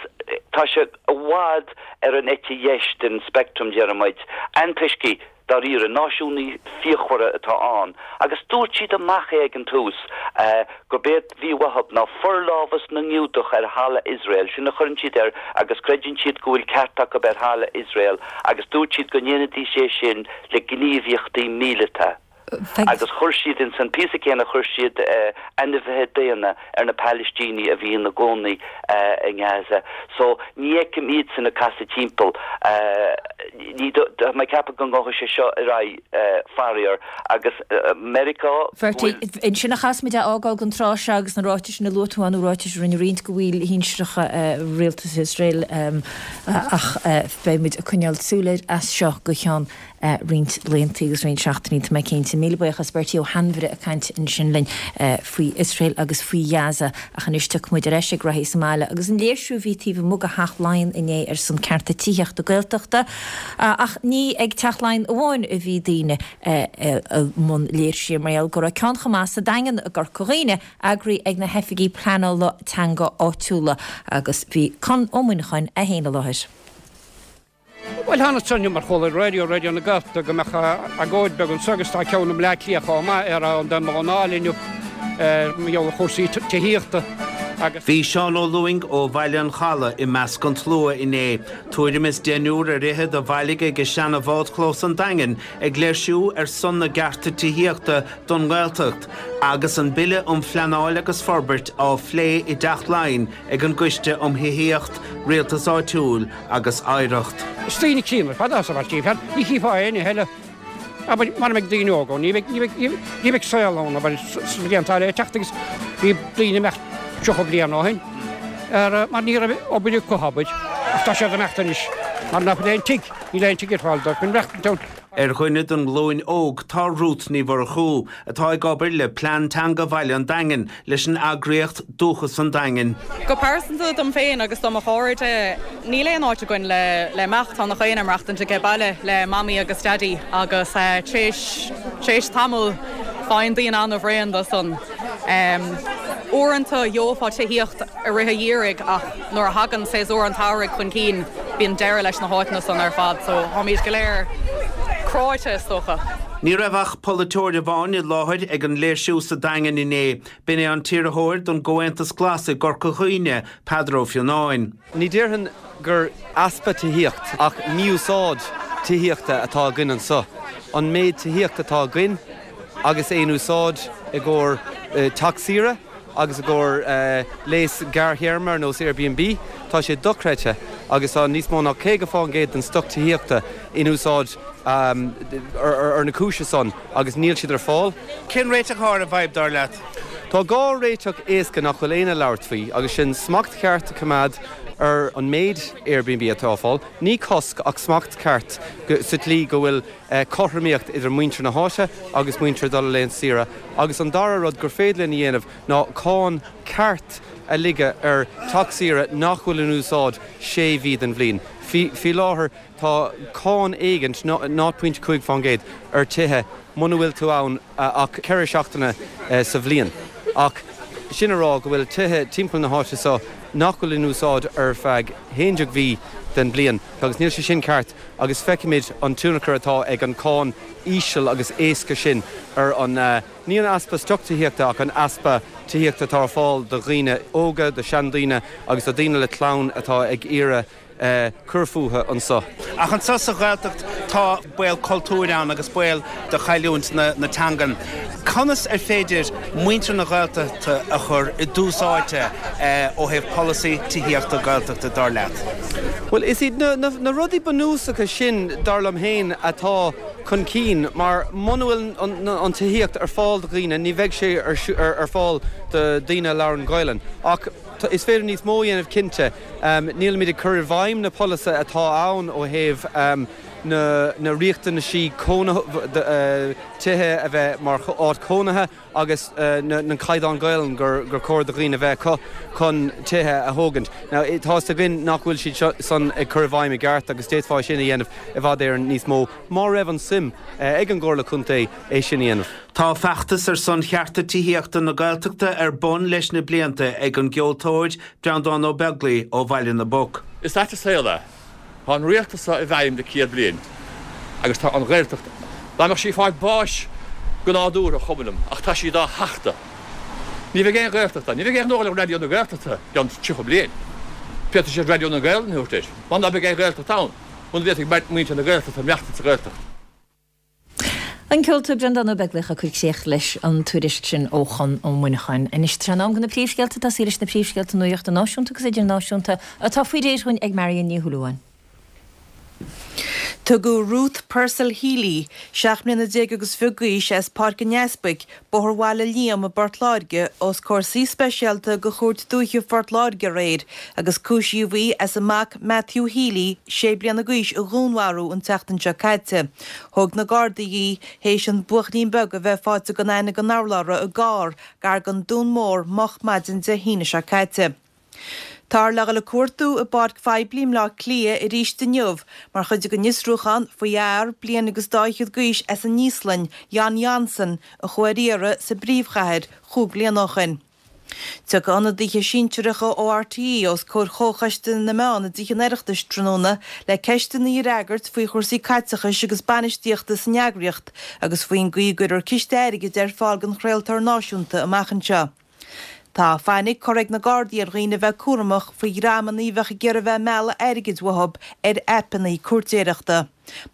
tá sé i bhfad ar an eite dheis den speictream, déarfaidh muid, antoiscigh, dáiríre, náisiúnaithe fíochmhara atá ann, agus dúirt siad amach é ag an tús, gurb é a bhí uathu ná forlámhas na nGiúdach ar thalamh Iosrael, sin a chuireann siad air, agus creideann siad go bhfuil ceart acu ar thalamh Iosrael, agus dúirt siad go ndéanfaidís é sin le gníomhaíochtaí míleata. Agus chuir siad, ins an píosa céanna, chuir siad ainmhithe daonna ar na Palaistínigh a bhí ina gcónaí i nGaza. So, ní fheicim iadsan ag casadh timpeall. Ní, tá mé ag ceapadh go ngabhfaidh sé seo ar aghaidh, faraor. Agus Meiriceá, go Bertie, bhfuil. ansin a chaithfeas muid é a fhágáil don tráth seo agus na ráitis sin a luaigh tú ann, nó ráitis a rinne roinnt de bhaill shinsearacha rialtas Iosrael, ach beidh muid ag coinneáil súil air as seo go ceann roinnt laethanta agus roinnt seachtainí, tá mé cinnte. Míle buíochas, Bertie Ó hAinmhire ag caint ansin linn faoi Iosrael agus faoi Ghaza. Ach anois tiocfaidh muid ar ais ag reathaí sa mbaile agus an léirsiú a bhí taobh amuigh de Theach Laighean inné ar son cearta tithíochta Gaeltachta. Ach ní ag Teach Laighean amháin a bhí daoine i mbun léirsithe mar gheall go raibh ceann chomh maith sa Daingean i gCorca Dhuibhne, eagraithe ag na hoifigigh pleanála teanga áitiúla agus bhí Conn Ó Muineacháin é féin i láthair. Bhuel, thánas anseo inniu mar chuala ar raidió, Raidió na Gaeltachta, go mbeadh agóid beag anseo agus tá ceann i mBleá Cliath chomh maith ar an dá mBun Áil inniu ar mar gheall ar chúrsaí tithíochta agus. Bhí Seán Ó Lúing ó Bhaile an Chalaidh i measc an tslua inné. Tuairim is deichniúr ar fhichead a bhailigh ag seana-bhádchlós an Daingin ag léirsiú ar son na gcearta tithíochta don nGaeltacht agus an Bille um Phleanáil agus Forbairt á phlé i dTeach Laighean ag an gCoiste um Thithíocht, Rialtas Áitiúil agus Oidhreacht. Is daoine críonna ar fad atá sa pháirtí, fear, ní chífeá éinne eile, abair, mara mbeidh daoine óga ann, ní bheidh, ní bheidh, ní bheidh saol ann, abair, sna blianta le teacht agus bhí daoine imeacht tríocha bliain ó shin, ar, mar ní raibh obair acu, abair, ach tá siad imeacht anois, mar nach bhfuil aon tigh, níl aon tigh ar fáil dóibh chun maireachtaint ann. Ar dhuine den ghlúin óg tá Ruth Ní Mhurchú, atá ag obair le Plean Teanga Bhaile an Daingin leis an eagraíocht Dúchas an Daingin. Go pearsanta dom féin agus do mo chairde, níl aon áit againn le le imeacht, tá nach éinne ag maireachtaint age baile le mamaí agus daidí agus tar éis tamaill faigheann daoine an-bhréan de san. Uaireanta gheofá tithíocht i rith an gheimhridh ach nuair a thagann séasúr an tsamhraidh chun cinn bíonn deireadh leis na háiteanna san ar fad so táimid go léir cráite is dócha. Ní raibh ach polaiteoir amháin i láthair ag an léirsiú sa Daingean inné. B'in é an t-iarrthóir don gComhaontas Glas i gCorca Dhuibhne, Peadar Ó Fionnáin. Ní déarfainn gur easpa tithíocht ach mí-úsáid tithíochta atá againn anseo. An méid tithíocht atá againn agus é in úsáid i gcomhair teach saoire agus i gcomhair léas gearrthéarma ar nós Airbnb, tá sé dochreidte. agus tá níos mó ná caoga fán gcéad den stoc tithíochta in úsáid ar na cúise san agus níl siad ar fáil. Cén réiteach atá ar an bhfadhb, dar leat? Tá dhá réiteach éasca nach bhfuil éinne ag labhairt faoi agus sin smacht ceart a choimeád ar an méid Airbnb atá ar fáil, ní cosc ach smacht ceart sa tslí go bhfuil cothromaíocht idir muintir na háite agus muintir dul ar laethanta saoire agus an dara rud gur féidir linn a dhéanamh ná cáin ceart a ligeadh ar teach saoire nach bhfuil in úsáid sé mhí den bhliain. Faoi láthair tá cáin éigint, náid pointe cúig fán gcéad, ar tithe muna bhfuil tú ann ach ceithre seachtaine sa bhliain. Ach sin a rá go bhfuil tithe timpeall na háite seo nach bhfuil in úsáid ar feadh haon déag mhí den bhliain agus níl sé sin ceart agus feicimid an tionchar atá ag an cáin íseal agus éasca sin ar an, ní an easpa stoc tithíochta ach an easpa tithíochta atá ar fáil do dhaoine óga, do sheandaoine agus do dhaoine le clann atá ag iarraidh cur fúthu anso. Ach anso sa Ghaeltacht tá baol cultúir ann agus baol de chailliúint na teangan. Conas ar féidir muintir na Gaeltachta a chur i dtús áite ó thaobh polasaí tithíochta Gaeltachta, dar leat? Bhuel, is iad na rudaí bunúsacha sin, dar liom féin, atá chun cinn mar muna bhfuil an tithíocht ar fáil do dhaoine, ní bheidh sé ar fáil do dhaoine a labhrann Gaelainn. Ach is féidir níos mó a dhéanamh cinnte. Nílimid ag cur i bhfeidhm na polasaithe atá ann ó thaobh na riachtanaisí tithe a bheith mar áit chónaithe agus na caighdeáin Gaelainn gur chóir do dhaoine a bheith acu chun tithe a thógaint. Now tá fhios againn nach bhfuil siad san ag cur i bhfeidhm i gceart agus d'fhéadfá é sin a dhéanamh i bhfad Éireann níos mó má raibh an suim ag an gComhairle Contae é sin a dhéanamh. Tá feachtas ar son chearta tithíochta na Gaeltachta ar bun leis na blianta ag an gceoltóir Breandán Ó Beaglaoi ó Bhaile na bPoc. Is ait an saol é. Tá an rialtas seo i bhfeidhm le céad bliain agus tá an Ghaeltacht, dá mbeadh sí ag fáil báis go nádúrtha, chuma liom, ach tá siad á thachtadh. Ní bheidh aon Ghaeltacht ann. Ní bheidh aon ghnó le Raidió na Gaeltachta i gceann tríocha bliain. Féadfaidh siad Raidió na Gaelainne a thabhairt air, mar ná beidh aon Ghaeltacht ann, muna bhféadfaidh muintir na Gaeltachta maireachtaint sa Ghaeltacht. An ceoltóir Breandán Ó Beaglaoich ag cur críoch leis an tuairisc sin ó Chonn Ó Muineacháin. Anois tá sé in am do na príomhscéalta, tosaí leis na príomhscéalta nuachta náisiúnta agus idirnáisiúnta atá faoi réir dhúinn ag Marion Ní Shúilleabháin. Tugadh Ruth Purcell Healy, seacht mbliana déag agus fiche d'aois, as Páirc an Easpaig, Bóthar Bhaile Liam i bPort Láirge, os comhair suí speisialta de Chúirt Dúiche Phort Láirge aréir agus cúisíodh í as a mac Matthew Healy, sé bliana d'aois, a dhúnmharú an tseachtain seo caite. Thóg na Gardaí í théis an buachaillín beag a bheith faighte gan aithne gan urlabhra i gcarr gar don Dún Mór moch maidin Dé hAoine seo caite. Táthar le dhul ag cuartú i bpáirc phoiblí i mBleá Cliath arís inniu mar chuid den fhiosrúchán faoi fhear bliain agus dá fhichead d'aois as an Íoslainn, Jon Jonsson, a chuaigh ar iarraidh sa bpríomhchathair chúig bliana ó shin. Tiocfaidh ionadaithe sinsearacha ó RTÉ os comhair Chomhchoiste na Meán i dTithe an Oireachtais tráthnóna le ceisteanna a fhreagairt faoi chúrsaí caiteachais agus bainistíochta san eagraíocht agus faoin gcaoi a gcuirfear ciste airgid ar fáil don chraoltóir náisiúnta amach anseo. Tá fainic curtha ag na Gardaí ar dhaoine a bheith cúramach faoi dhreamanna a bheadh ag iarraidh a bheith ag mealladh airgid uathu ar aipeanna cúirtéireachta.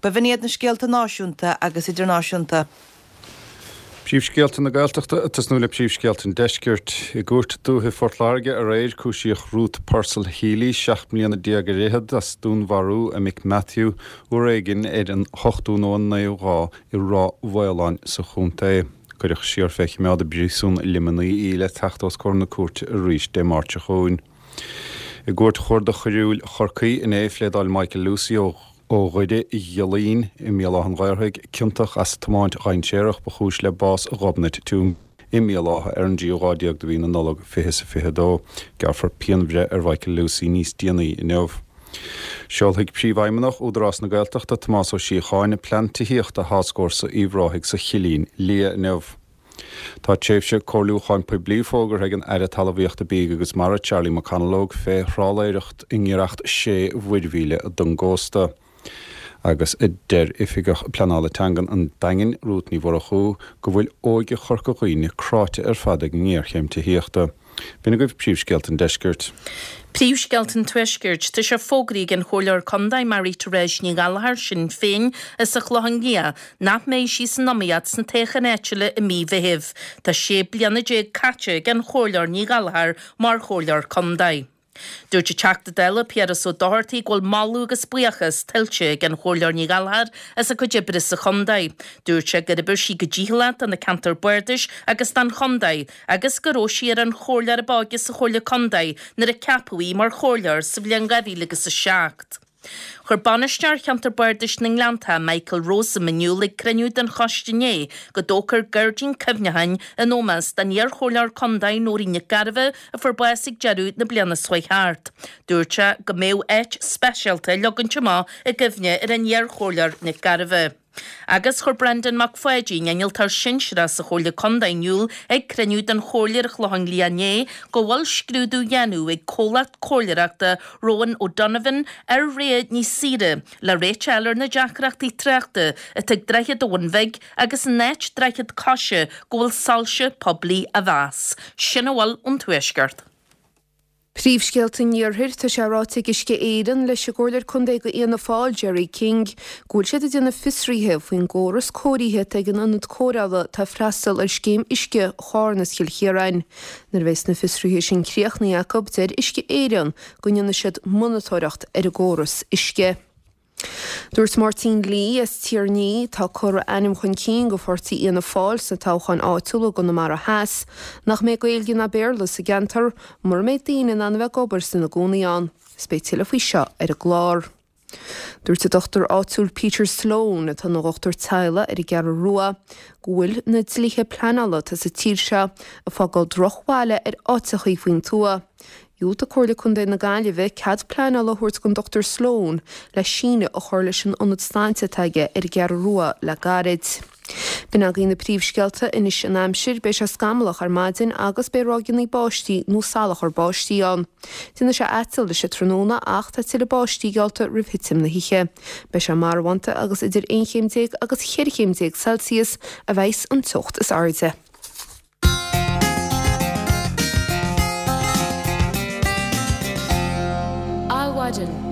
B'in iad na scéalta náisiúnta agus idirnáisiúnta. Príomhscéalta na Gaeltachta ag tosnú le príomhscéalta an Deiscirt. I gCúirt Dúiche Phort Láirge aréir, cúisíodh Ruth Purcell Healy, seacht mbliana déag ar fhichead, as dúnmharú a mic Matthew uair éigin ar an ochtú nó an naoú lá i Ráth Mhaoláin sa chontae. Cuireadh siar fé choimeád i bPríosún Luimnigh í le teacht os comhair na cúirte arís Dé Máirt seo chugainn. I gCúirt Chuarda Choiriúil Chorcaí inné, phléadáil Michael Lucey ó Dhoire Ghiollaín i mBéal Átha an Ghaorthaidh ciontach as tiomáint dhainséarach ba chúis le bás Ghobnait Twomey i mBéal Átha ar an dtríú lá déag de mhí na Nollag fiche is a fiche dó. Gearrfar pianbhreith ar Mhichael Lucey níos déanaí inniu. Seolfaidh Príomhfheidhmeannach Údarás na Gaeltachta, Tomás Ó Síocháin, plean tithíochta Thascfhórsa Uíbh Ráthaigh sa Chillín Liath inniu. Tá tréimhse comhairliúcháin poiblí fógartha ag an Aire Talmhaíochta, Bídh agus Mara, Charlie McConalogue, fé thrálaeireacht i ngiorracht sé mhuirmhíle don gcósta. Agus deir Oifigeach Pleanála Teangan an Daingin, Rút Ní Mhurchú, go bhfuil óige Chorca Dhuibhne cráite ar fad ag an ngéarchéim tithíochta. B'in agaibh príomhscéalta an deiscirt. Príomhscéalta an Tuaiscirt, Tá sé fógraithe ag an Chomhairleoir Contae Marie Therese Ní Ghallchóir, Sinn Féin, as an Chlochán Liath, nach mbeidh sí san iomaíocht sna toghcháin áitiúla i mí Mheithimh. Tá sé bliana déag caite ag an Chomhairleoir Ní Ghallchóir mar Chomhairleoir Contae. Dúirt an Teachta Dála Piaras Ó Dochartaigh go bhfuil moladh agus buíochas tuillte ag an Chomhairleoir Ní Ghallchóir as a cuid oibre sa chontae. Dúirt sé gur oibir sí go dícheallach do na ceantair bardais agus don chontae agus go raibh sí ar an chomhairleoir ab óige sa Chomhairle Contae nuair a ceapadh í mar chomhairleoir sa bhliain dhá mhíle agus a seacht. Chuir Bainisteoir Cheantar Bardais na nGleannta, Michael Rosam, in iúl ag cruinniú den choiste inné go dtógfar gairdín cuimhneacháin in ómós don iar-chomhairleoir contae Nóirín Nic Gairbheith a fuair bás ag deireadh na bliana seo chuaigh thart. Dúirt sé go mbeadh áit speisialta á leagaint amach i gcuimhne ar an iar-chomhairleoir Nic Gairbheith. Agus chuir Brendan Mac Pháidín, innealtóir sinsearach sa Chomhairle Contae in iúl ag cruinniú den Chomhairle ar an Chlochán Liath inné go bhfuil scrúdú á dhéanamh ag comhlacht comhairleoireachta Rowan O'Donovan ar rogha níos saoire le réiteach a fháil ar na deacrachtaí tráchta atá ag Droichead an Bhun Bhig agus an áit droichead coise go bhfuil soilse poiblí á mheas. Sin a bhfuil ón Tuaisceart. Príomhscéalta an Iarthair, Tá sé ráite ag Uisce Éireann leis an gComhairleoir Contae do Fhianna Fáil, Gerry King, go bhfuil siad ag déanamh fiosraithe faoin gcóras cóirithe atá ag an ionad cóireála atá ag freastal ar scéim uisce Charna is Chill Chiaráin. Nuair a bheas na fiosruithe sin críochnaithe acu, deir Uisce Éireann go ndéanfaidh siad monatóireacht ar an gcóras uisce. Dúirt Máirtín Lee as Tír an Fhia, atá ag cur a ainm chun cinn do pháirtí Fhianna Fáil sna toghcháin áitiúla i gConamara Theas, nach mbeidh Gaeilge ná Béarla sa gceantar mura mbeidh daoine in ann a bheith ag obair is ina gcónaí ann. Is beidh tuilleadh faoi seo ar an gclár. Dúirt an dochtúir áitiúil Peter Sloane, atá ina dhochtúir teaghlaigh ar an gCeathrú Rua, go bhfuil na dlíthe pleanála atá sa tír seo ag fágáil drochbhaile ar áiteachaí faoin tuath. Dhiúltaigh Comhairle Contae na Gaillimhe cead pleanála a thabhairt don Dochtúir Sloane le síneadh a chur leis an ionad sláinte atá aige ar an gCeathrú Rua le gairid. B'in agaibh na príomhscéalta anois an aimsir, beidh sé scamallach ar maidin agus beidh ráigeanna báistí nó salachar báistí ann. Déanfaidh sé aiteal leis an tráthnóna ach tá tuilleadh báistí geallta roimh thitim na hoíche. Beidh sé marbhánta agus idir aon chéim déag agus cheithre chéim déag Celsius a bheas an teocht is airde. Adhmhaidin.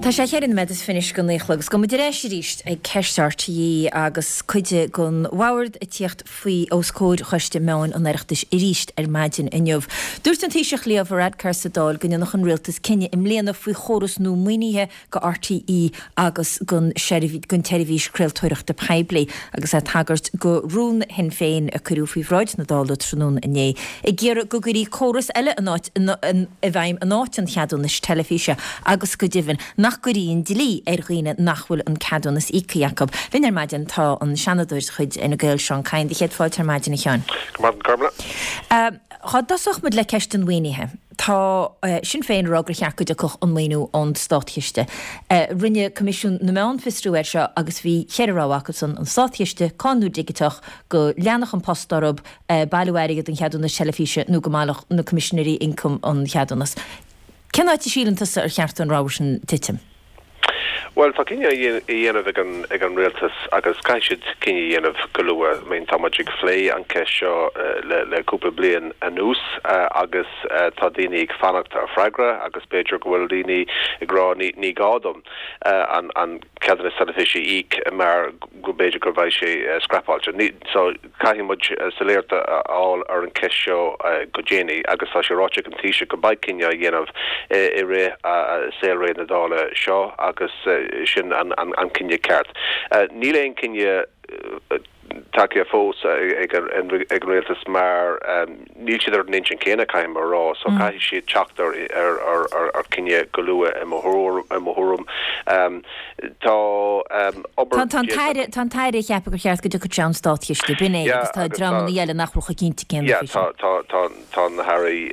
Tá sé cheithre nóiméad is fiche anois go naoi a chlog agus gabhfaidh muid ar ais arís ag ceist RTÉ agus cuid den bhord ag tíocht faoi os comhair Choiste Meáin an Oireachtais arís ar maidin inniu. Dúirt an Taoiseach Leo Varadkar sa Dáil go ndéanfadh an rialtas cinneadh i mbliana faoi chóras nua maoinithe go RTÉ agus don tseirbhís craoltóireachta poiblí agus é ag tagairt go rún Shinn Féin a cuireadh faoi bhráid na Dála tráthnóna inné ag iarraidh go gcuirí córas eile in áit i bhfeidhm in áit an cheadúnais teilifíse agus go deimhin nach gcuirí an dlí ar dhaoine nach bhfuil an ceadúnas íoctha acu. Linn ar maidin tá an Seanadóir de chuid Fhine Gael Seán Kyne. Céad fáilte ar maidin a Sheáin. Go maidin Gormlaith. Dá dtosódh muid le ceist an mhaoinithe. Tá Sinn Féin ag rá gur cheart go dtiocfadh an maoiniú ón Státchiste. Rinne Coimisiún na Meán fiosrú air seo agus bhí cheithre rogha acusan, an Státchiste, cáin nua dhigiteach, go leanfadh An Post orthu bailiú airgead an cheadúnais teilifíse nó go mbaileodh na Coimisinéirí Ioncaim an cheadúnas. Cén áit a síleann tusa ar cheart don rogha sin titim? Bhuel, tá cinneadh a dhéanamh ag an ag an rialtas agus caithfidh siad cinneadh a dhéanamh go luath. I mean, tá muid ag phlé an ceist seo le le cúpla bliain anuas agus tá daoine ag fanacht ar freagra agus b'fhéidir go bhfuil daoine ag rá ní ní gá dom an an ceadúnas teilifíse a íoc mar go b'fhéidir go bheidh sé scrapáilte. So caithfidh muid soiléireacht a fháil ar an cheist seo go déanaí agus tá sé ráite ag an Taoiseach go mbeidh cinneadh á dhéanamh i rith saolré na Dála seo agus sin an cinneadh ceart. Níl aon cinneadh tagtha fós ag an rialtas mar níl siad ar an intinn céanna, caithfidh mé a rá, so caithfidh siad teacht ar chinneadh go luath i mo thuairim. Tá obair Tá an tAire tá an tAire ag ceapadh gur cheart go dtiocfadh sé ón Státchiste, b'in é, agus tá dreamanna eile nach bhfuil chomh cinnte céanna faoi sin. Tá tá tá na hairí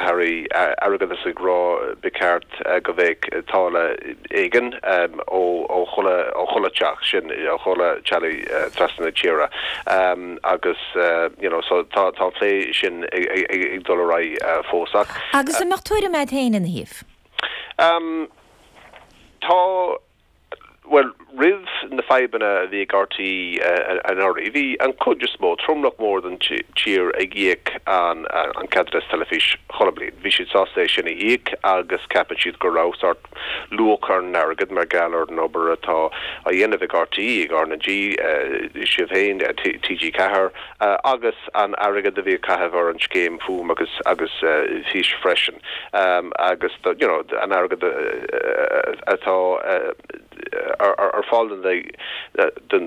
hairí airgeadais ag rá ba cheart go mbeadh táille éigin ó ó chuile ó chuile teach sin ó chuile teaghlaigh trasna na tíre agus you know so tá tá an plé sin ag ag ag dul ar aghaidh fós ach Agus an mbeadh tuairim agat féin ina thaobh? Tá Bhuel, roimh na fadhbanna a bhí ag RTÉ anuraidh, bhí an chuid is mó, tromlach mór den tír ag íoc an ceadúnas teilifís chuile bliain. Bhí siad sásta é sin a íoc agus ceapann siad go raibh sórt luach ar an airgead mar gheall ar an obair atá á dhéanamh ag RTÉ, ag RnaG, sibh féin, TG Ceathair, agus an airgead a bhí á chaitheamh ar an scéim Fuaim agus agus Fís freisin agus you know an airgead atá ar fáil don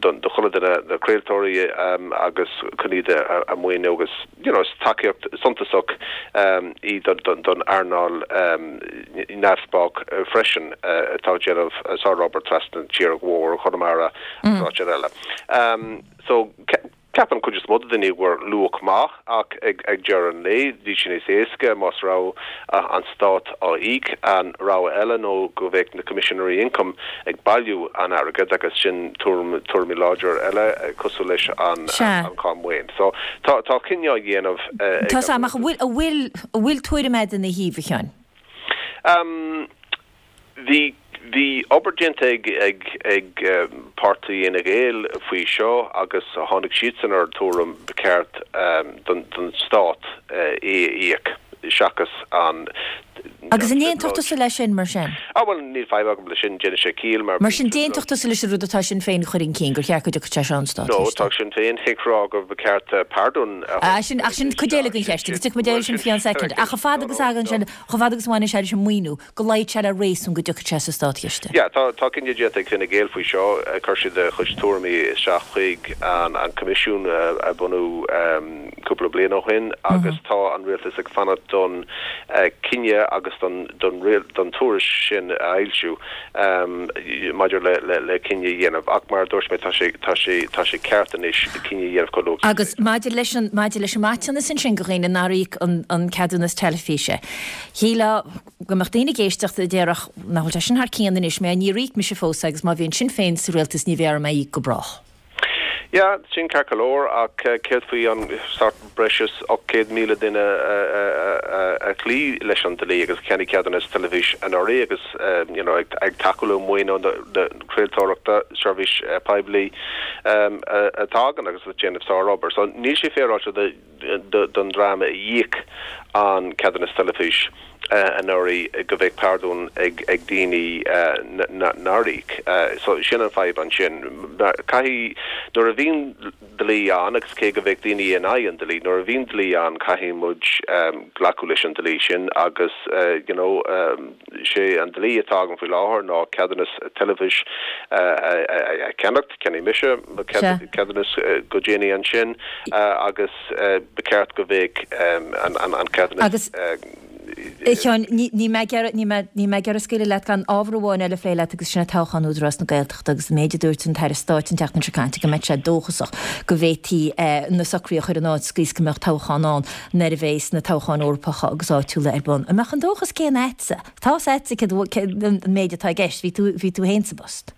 do chuile duine, na craoltóirí agus chun iad a mhaoiniú agus you know is tacaíocht suntasach í don earnáil neamhspleách freisin atá ag déanamh sárobair trasna na tíre go mór Chonamara agus áiteanna eile. So Ceapann cuid is mó de daoine go bhfuair luach maith ach ag deireadh an lae bhí sé níos éasca más raibh an stát á íoc. An rogha eile nó go bheadh na Coimisinéirí Ioncaim ag bailiú an airgid agus sin tuairim tuairimí láidir eile cosúil leis an cháin maoin. So tá tá cinneadh á dhéanamh ag Tá 's a'm ach an bhfuil an bhfuil an bhfuil tuairim a'd ina thaobh a Sheáin? Bhí Bhí obair déanta ag ag ag páirtí Fhine Gael faoi seo agus tháinig siadsan ar an tuairim ba cheart don don stát é a íoc seachas an Agus an aontódh tusa leis sin mar sin? Ah bhuel níl fadhb agam leis sin, déanann sé ciall mar Mar sin d'aontódh tusa leis an rud atá Sinn Féin a chur chun cinn, gur cheart go dtiocfadh sé seo ón No, státchiste? tá Sinn Féin ag rá go ba cheart pardún a Ah sin, ach sin cuid eile den cheist agus tiocfaidh muid air sin faoi cheann soicind. Ach chomh fada agus a thagann sé, chomh fada agus a bhaineann sé leis an maoiniú, go luífeadh sé le réasún go dtiocfadh sé sa státchiste. Yeah, tá tá cinneadh déanta ag Fine Gael faoi seo. Chuir siad a chuid tuairimí isteach chuig an an Coimisiún a bunú cúpla bliain ó shin agus tá an rialtas ag fanacht don cinneadh agus don don don tuairisc sin a fhoilsiú maidir le le le cinneadh a dhéanamh. Ach mar a dúirt mé tá sé tá sé tá sé ceart anois cinneadh a dhéanamh chomh luath Agus maidir leis an maidir leis an maiteanas ansin go dhaoine nár íoc an an ceadúnas teilifíse. Shílfeá go mbeadh daoine ag éisteacht a déarfadh nach bhfuil sé sin thar cionn anois, mé níor íoc mise fós agus má bhíonn Sinn Féin sa rialtas ní bheidh orm é a íoc go brách. Yeah, sin ceart go leor ach céard faoi an sórt breis is ocht gcéad míle duine a chloígh leis an dlí agus a cheannaigh ceadúnas teilifís anuraidh agus you know ag tacú le maoiniú na craoltóireachta, seirbhís poiblí atá againn agus ag déanamh sárobair. So níl sé féaráilte don dream a d'íoc an ceadúnas teilifís anuraidh go bheadh pardún ag daoine nár íoc. So sin an fadhb ansin. Caithfidh, nuair a bhíonn dlí ann, agus cé go bheadh daoine in aghaidh an dlí, nuair a bhíonn dlí ann caithfidh muid glacadh leis an dlí sin agus you know sé an dlí atá againn faoi láthair ná ceadúnas teilifís a cheannacht, cheannaigh mise mo cheadúnas go déanaí ansin agus ba cheart go bheadh an ceadúnas. Agus, a Sheáin, ní mé ag iarraidh, ní mé ag iarraidh scaoileadh leat gan ábhar amháin eile a phlé leat agus sin é toghchán Údarás na Gaeltachta agus an méid a dúirt an tAire Stáit an tseachtain seo caite go mbeadh sé dóchasach go bhféadfaí na socruithe a chur in áit sa gcaoi is go mbeadh toghchán ann nuair a bheas na toghcháin Eorpacha agus áitiúla ar bun. An mbeadh an dóchas céanna agatsa? Tá's agatsa céard an méid atá i gceist, bhí tú, bhí tú féin sa bpost.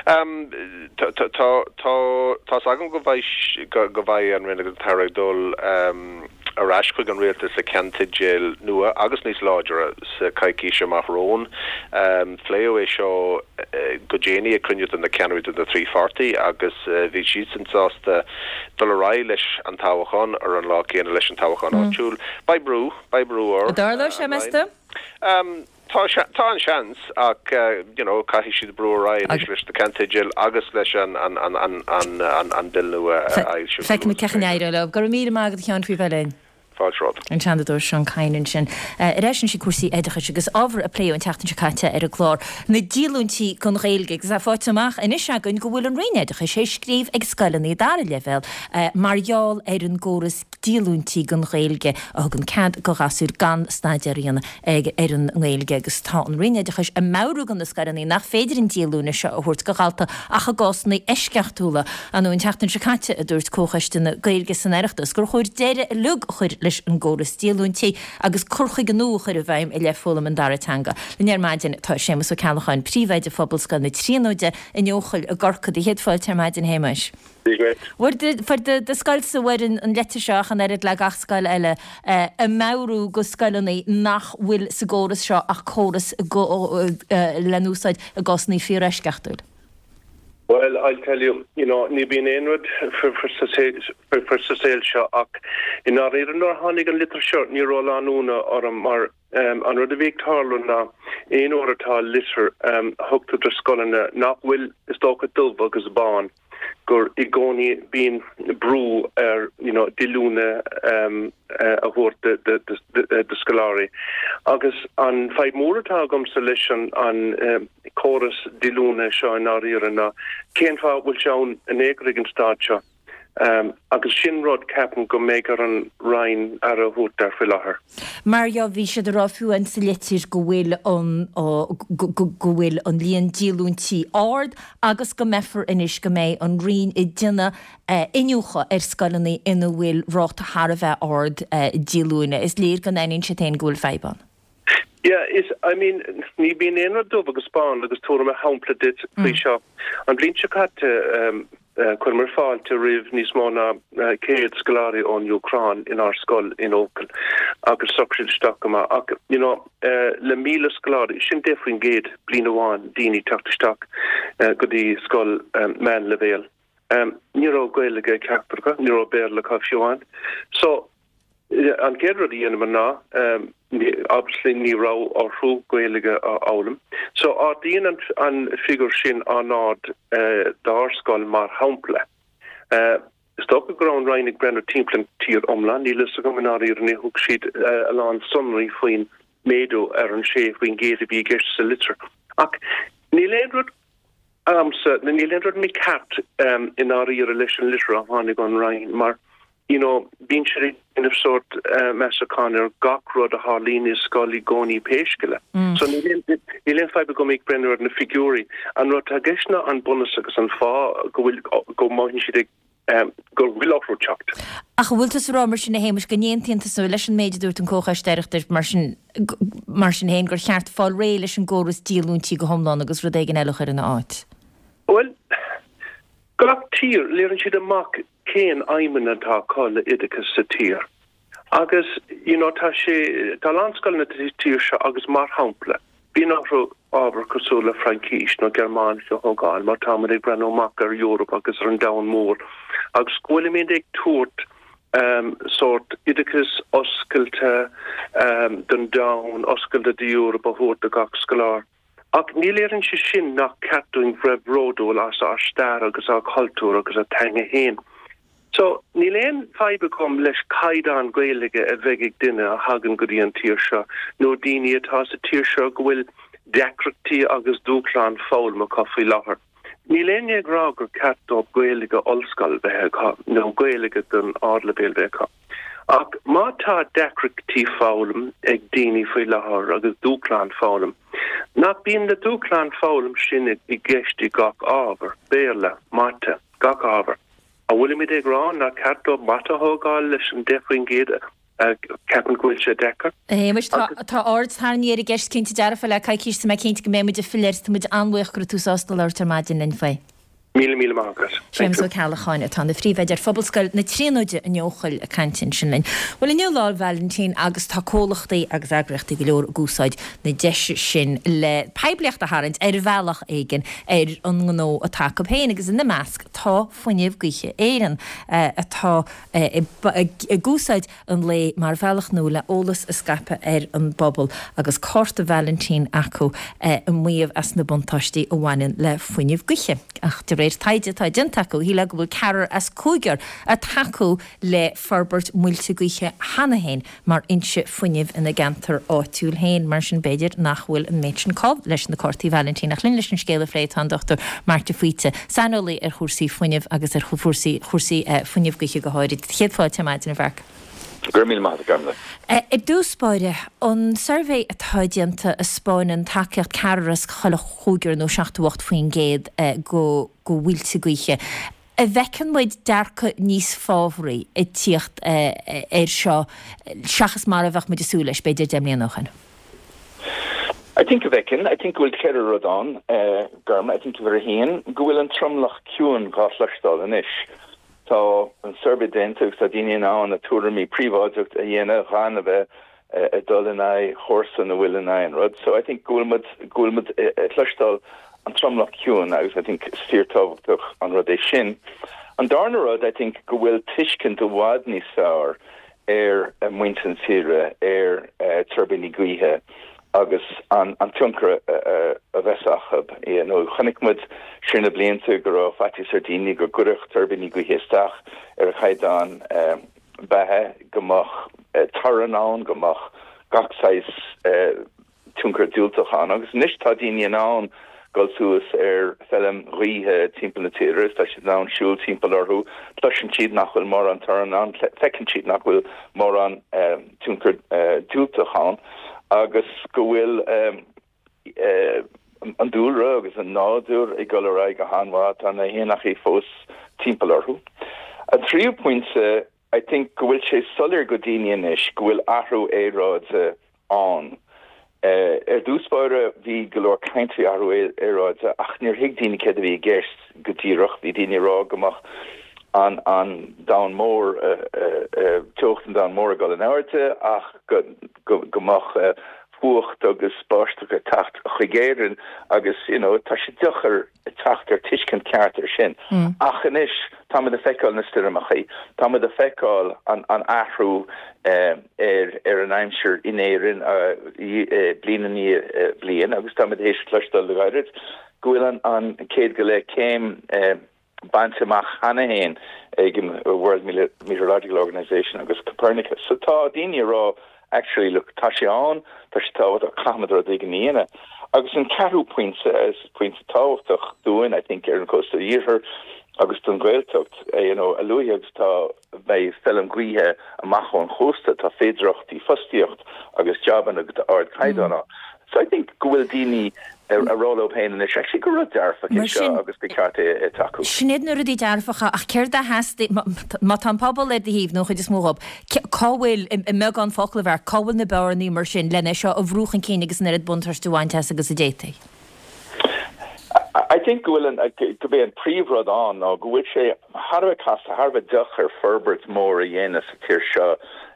Tá, tá, tá's agam go mbeidh, go mbeidh an Roinn agus an tAire ag dul ar ais chuig an Rialtas le ceannteideal nua agus níos láidre sa choicís amach romhainn. Pléadh é seo go déanaí ag cruinniú de na ceannairí de na trí pháirtí agus bhí siadsan sásta dul ar aghaidh leis an toghchán ar an lá céanna leis an toghchán áitiúil. Beidh brú, beidh brú ar An dtarlóidh sé, an meas Roinn. tú? Tá tá an seans ach you know caithfidh siad brú ar aghaidh anois leis na ceannteidil agus leis an an an an an an an Bill nua a fhoilsiú go Feicfimid luath cén chaoi a n-éireoidh leo. Go raibh míle maith agat a Sheáin faoi bheith linn. Fáilte romhat. An Seanadóir Seán Kyne ansin. Ar ais anois ag cúrsaí oideachais agus ábhar a pléadh an tseachtain seo caite ar an gclár, na díolúintí don Ghaeilge agus é faighte amach anois againn go bhfuil an Roinn Oideachais ag scríobh ag scoileanna dara leibhéal mar gheall ar an gcóras díolúintí don Ghaeilge a thugann cead do ghasúir gan staidéar a dhéanamh ag ar an nGaeilge agus tá an Roinn Oideachais ag meabhrú do na scoileanna nach féidir an díolúine seo a thabhairt do dhalta ach i gcásanna eisceachtúla. An tseachtain seo caite a dúirt Comhchoiste na Gaeilge san Oireachtas gur chóir deireadh uilig a chur leis an gcóras díolúintí agus cur chuige nua a chur i bhfeidhm i leith foghlaim an dara teanga. Linn ar maidin tá Séamus Ó Ceallacháin, Príomhoide Phobalscoil na Tríonóide in Eochaill i gCorcaigh. Do chéad fáilte ar maidin, a Shéamais. Fuair do scoilsa bhfuair an leitir seo ach an oiread le gach scoil eile ag meabhrú go scoileanna nach bhfuil sa gcóras seo ach córas le n-úsáid i gcásanna fíoreisceachtúil. Well, I'll tell you, you know, ní bíonn aon rud sa saol seo ach i ndáiríre nuair a tháinig an litir seo ní raibh a lán ionadh orm mar an rud a bhí ag tarlú ná aon uair atá litir a thugtar do scoileanna nach bhfuil is dócha dubh agus bán gur i gcónaí bíonn brú ar you know, díolúine um, a thabhairt do scoláirí. Agus an fadhb mór atá agamsa leis an an córas díolúine seo i ndáiríre ná cén fáth bhfuil sé ann in aon chor ag an stát seo. Agus sin rud ceapaim go mbeidh ar an Roinn aire a thabhairt air faoi láthair. Mar dhea bhí siad ag rá fiú amháin sa litir go bhfuil an go bhfuil an líon díolúintí ard agus go mbeifear anois go mbeidh an Roinn ag déanamh iniúchadh ar scoileanna ina bhfuil ráta thar a bheith ard díolúine. Is léir go n-aithníonn siad féin go bhfuil fadhb ann. Yeah, is, I mean, ní bíonn aon rud dubh agus bán agus tabharfaidh mé shampla duit faoi seo. An bhliain seo caite, chuireamar fáilte roimh níos mó ná céad scoláirí ón Úcráin inár scoil in Eochaill agus shocraigh siad isteach go maith. Ach, you know, le míle scoláirí, sin deich faoin gcéad bliain amháin daoine teacht isteach go dtí scoil meánleibhéil. Ní raibh Gaeilge ag ceachtar acu, ní raibh Béarla acu fiú amháin. So, an chéad rud a dhéanamar ná, obviously ní raibh orthu Gaeilge a fhoghlaim. So ardaíonn an an figiúr sin an-ard dár scoil mar shampla. Is dócha go raibh an Roinn ag breathnú timpeall an tír iomlán, níl fhios agam i ndáiríre, níor thug siad a lán sonraí faoin méadú ar an sé faoin gcéad a bhí i gceist sa litir. Ach níl aon rud agamsa, níl aon rud mícheart i ndáiríre leis an litir a tháinig ón Roinn mar you know, bíonn siad ag déanamh sórt measúchán ar gach rud a tharlaíonn i scoil i gcónaí pé scéal é. So níl aon, níl aon fadhb agam ag breathnú ar na figiúirí. An rud atá i gceist ná an bunús agus an fáth go bhfuil, go mothaíonn siad ag, go bhfuil orthu teacht. Ach an bhfuil tusa ag rá mar sin a Shéamais go n-aontaíonn tusa leis an méid a dúirt an Comhchoiste Oireachtais mar sin, mar sin féin gur cheart fáil réidh leis an gcóras díolúintí go hiomlán agus rud éigin eile a chur ina áit? Bhuel, gach tír, léiríonn siad amach cén aidhmeanna atá acu le oideachas sa tír. Agus, you know, tá sé, tá a lán scoileanna sa tír seo agus mar shampla, bíonn orthu ábhar cosúil le Fraincis nó Gearmáinis a thógáil mar táimid ag breathnú amach ar Eoraip agus ar an domhan mór agus go bhfuilimid ag tabhairt um, sórt oideachas oscailte um, don domhan, oscailte d'Eoraip a thabhairt do gach scoláire. Ach ní léiríonn sé sin nach ceart dúinn bheith bródúil as ár stair agus ár cultúr agus ár teanga féin. So, níl aon fadhb agam leis caighdeán Gaeilge a bheidh ag duine a thagann go dtí an tír seo, nó daoine atá sa tír seo go bhfuil deacrachtaí agus dúshláin foghlaim acu faoi láthair. Níl éinne ag rá gur ceart dóibh Gaeilge ollscoil bheith acu, nó Gaeilge don ardleibhéal bheith acu. Ach má tá deacrachtaí foghlaim ag daoine faoi láthair agus dúshláin foghlaim, nach bíonn na dúshláin foghlaim sin i gceist i gach ábhar, Béarla, Mata, gach ábhar? An bhfuilimid ag rá nach ceart dóibh Mata a thógáil leis an deich faoin gcéad a cheapann go bhfuil sé deacair? A Shéamais, tá aird tarraingthe ar an gceist cinnte dearfa le coicís, tá mé cinnte go mbeidh muid ag filleadh air, tá muid an-bhuíoch go raibh tú sásta labhairt ar maidin linn faoi. Míle míle maith agat. Séamus Ó Ceallacháin atá ina phríomhoide ar Phobalscoil na Tríonóide in Eochaill ag caint ansin linn. Bhuel inniu Lá Vailintín agus tá comhlachtaí agus eagraíochtaí go leor ag úsáid na deise sin le poiblíocht a tharraingt ar bhealach éigin ar an ngnó atá acu féin agus ina measc tá Fuinneamh Gaoithe Éireann atá ag úsáid an lae mar bhealach nua le eolas a scaipeadh ar an bpobal agus cárta Vailintín acu ag maíomh as na buntáistí a bhaineann le fuinneamh gaoithe. Ach de réir taighde atá déanta acu, shílfeá go bhfuil ceathrar as cúigear ag tacú le forbairt muilte gaoithe cheana féin mar fhoinse fuinnimh ina gceantar áitiúil féin. Mar sin b'fhéidir nach bhfuil an méid sin call leis na cártaí Vailintín. Ach linn leis an scéal a phlé tá an Dochtúir Mark de Faoite, saineolaí ar chúrsaí fuinnimh agus ar chúrsaí chúrsaí fuinneamh gaoithe go háirid. Céad fáilte ar maidin, a Mharc. Go raibh míle maith agat, a Gormlaith. I dtús báire, an suirbhé atá déanta a 'spáineann tacaíocht ceathrar as chuile chúigear nó seachtó ocht faoin gcéad go go mhuilte gaoithe. An bhfeiceann muid dearcadh níos fábhraí ag tíocht air seo seachas mar a bheadh muid ag súil leis, b'fhéidir, deich mbliana ó shin? I think go bhfeiceann. I think go bhfuil ceithre rud ann, Gormlaith. I think uimhir a haon, go bhfuil an tromlach ciúin dhá chloisteáil anois. Tá an suirbhé déanta agus tá daoine in ann a tuairimí príobháideach a dhéanamh gan a bheith ag dul in aghaidh chomharsan a bhfuil in aghaidh an rud. So I think go bhfuil muid, go bhfuil muid ag cloisteáil an tromlach ciúin agus I think is fíortábhachtach an rud é sin. An darna rud, I think go bhfuil tuiscint i bhfad níos fearr ar muintir na tíre ar tuirbíní gaoithe agus an an tionchar a bheas acu. You know, chonaic muid siar na blianta go raibh faitíos ar daoine go gcuirfeadh tuirbíní gaoithe isteach ar a chaighdeán beatha, go mbeadh torann ann, go mbeadh gach saghas tionchar diúltach ann. Agus anois tá daoine in ann dul suas ar feilm ghaoithe timpeall na tíre is tá siad in ann siúl timpeall orthu, cloiseann siad nach bhfuil mórán torann ann, feiceann siad nach bhfuil mórán tionchar diúltach ann agus go bhfuil an dúlra agus an nádúr ag dul ar aghaidh go han-mhaith, tá na héanachaí fós timpeall orthu. An tríú pointe, I think go bhfuil sé soiléir go daoine anois go bhfuil athrú aeráide ann. Ar dtús báire bhí go leor caint faoi athrú aeráide ach níor thuig daoine céard a bhí i gceist go díreach. Bhí daoine ag rá go mbeadh an an domhan mór, teocht an domhain mór ag dul in airde ach go go mbeadh fuacht agus báisteach ag teacht chuig Éirinn agus you know tá sé deacair teacht ar tuiscint ceart ar sin. Ach anois táimid ag feiceáil na stoirmeachaí, táimid ag feiceáil an an athrú ar ar an aimsir in Éirinn bliain i ndiaidh bliain agus táimid théis cloisteáil le gairid go bhfuil an an céad go leith céim bainte amach cheana féin ag an World Meteorological Organization agus Copernicus. So tá daoine ag rá actually look tá sé ann, tá sé tábhachtach, caithfimid rud éigin a dhéanamh. Agus an ceathrú pointe, is pointe tábhachtach dúinn I think ar an gcósta iarthair agus don Ghaeltacht, you know, a luaithe agus tá beidh feilm gaoithe amach ón chósta, tá féidearthachtaí fostaíocht agus jabanna d'ardchaighdeán ann. So I think go bhfuil daoine ag rá leo féin anois actually gur rud dearfach é seo agus gur ceart é a tacú. Sin iad na rudaí dearfacha ach céard a theastaigh, má tá an pobal ar do thaobh nó an chuid is mó dhób, cá bhfuil, i mbeagán focal a Mharc, cá bhfuil na bearnaí mar sin lena seo a bhrú chun cinn agus an oiread buntáiste a bhaint as agus a d'fhéadfaí? I think go bhfuil an, gurb é an príomhrud ann ná go bhfuil sé thar a bheith casta, thar a bheith deacair forbairt mór a dhéanamh sa tír seo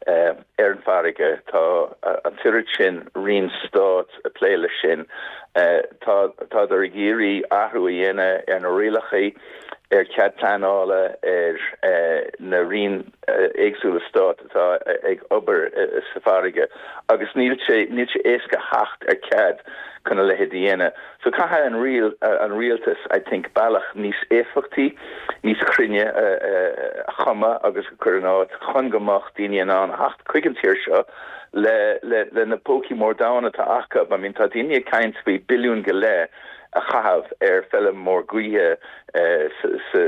ar an bhfarraige. Tá an t-oiread sin roinn stáit ag plé leis sin. Tá, tádar ag iarraidh athrú a dhéanamh ar na rialacha, ar chead pleanála, ar na roinn éagsúla stáit atá ag obair sa bhfarraige agus níl sé, níl sé éasca theacht ar chead chun a leithéid a dhéanamh. So caithfidh an riail, an rialtas, I think, bealach níos éifeachtaí, níos cruinne a chumadh agus a chur in áit chun go mbeadh daoine in ann a theacht chuig an tír seo le, le, le na pócaí mór donn atá acu. I mean, tá daoine ag caint faoi billiún go leith a chaitheamh ar feilm mór gaoithe sa, sa,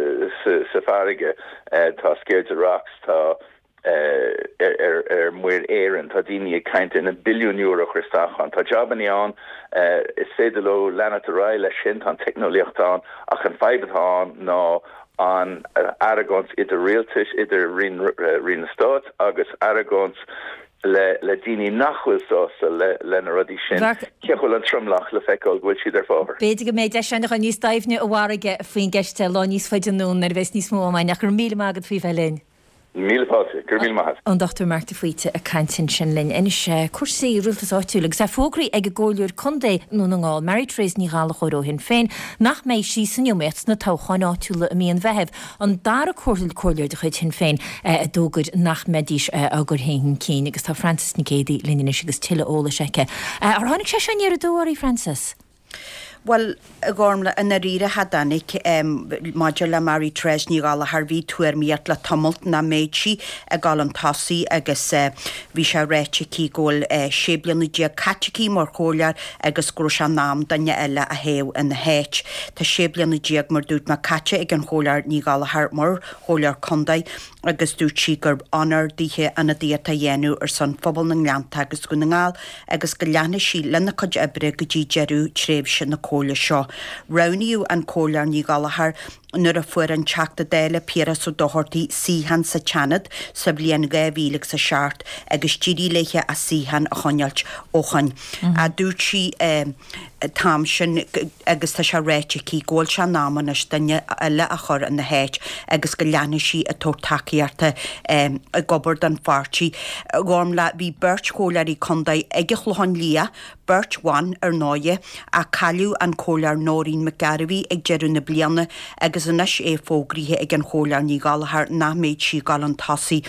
sa, sa bhfarraige. Tá Sceirde Rocks, tá. ar Muir Éireann. Tá daoine ag caint ar na billiúin euro a chur isteach ann. Tá jabannaí ann, is féidir leo leanacht ar aghaidh leis sin, tá an teicneolaíocht ann ach an fadhb atá ann ná an argóint idir rialtais, idir Roinn na Stát agus argóint le le daoine nach bhfuil sásta le le na rudaí sin. Cé go bhfuil an tromlach le feiceáil go bhfuil siad ar fábhar. B'fhéidir go mbeidh deis againn a ghabháil níos doimhne a Mhairc faoin gceist lá níos faide anonn nuair a bheas níos mó ama againn ach go raibh míle maith agat faoi bheith linn. Míle fáilte. Go raibh míle maith agat. An Dochtúir Marc de Faoite ag caint ansin linn. Anois, cúrsaí rialtais áitiúil agus é fógraithe ag an gComhairleoir Contae i nDún na nGall, Mary Therese Ní Ghallchóir ó Shinn Féin, nach mbeidh sí san iomaíocht sna toghcháin áitiúla i mí an Mheithimh, an dara comhairleoir de chuid Shinn Féin a d'fhógair nach mbeidís á gcur féin chun cinn. Agus tá Frances Nic Géadaigh linn anois agus tuilleadh eolais aici. Ar tháinig sé seo aniar aduaidh oraibh, Frances? Bhuel, a Ghormlaith, i ndáiríre, cha dtáinig. Maidir le Mary Therese Ní Ghallchóir, bhí tuairmíocht le tamalt nach mbeadh sí ag dul chun tosaigh agus bhí sé ráite aici go bhfuil sé bliana déag caite aici mar chomhairleoir agus go raibh sé in am duine eile a thoghadh ina háit. Tá sé bliana déag, mar dúirt mé, caite ag an Chomhairleoir Ní Ghallchóir mar Chomhairleoir Contae agus dúirt sí gurb onóir dithe ionadaíocht a dhéanamh ar son phobal na nGleannta agus Dhún na nGall agus go leanfaidh sí lena cuid oibre go dtí deireadh tréimhse na Comhairle seo. Roghnaíodh an Comhairleoir Ní Ghallchóir nuair a fuair an Teachta Dála Piaras Ó Dochartaigh suíochán sa tSeanad sa bhliain dhá mhíle agus a seacht agus d'éirigh léithe a suíochán a choinneáilt ó shoin. Dúirt sí an t-am sin agus tá sé ráite aici go bhfuil sé in am anois duine eile a chur ina háit agus go leanfaidh sí ag tabhairt tacaíochta ag obair don pháirtí. A Ghormfhlaith, bhí beirt chomhairleoirí contae ag an Chlochán Liath, beirt bhan ar ndóighe, ach cailleadh an Comhairleoir Nóirín McGarvey ag deireadh na bliana agus anois é fógraithe ag an Chomhairleoir Ní Ghallchóir nach mbeidh sí ag dul chun tosaigh.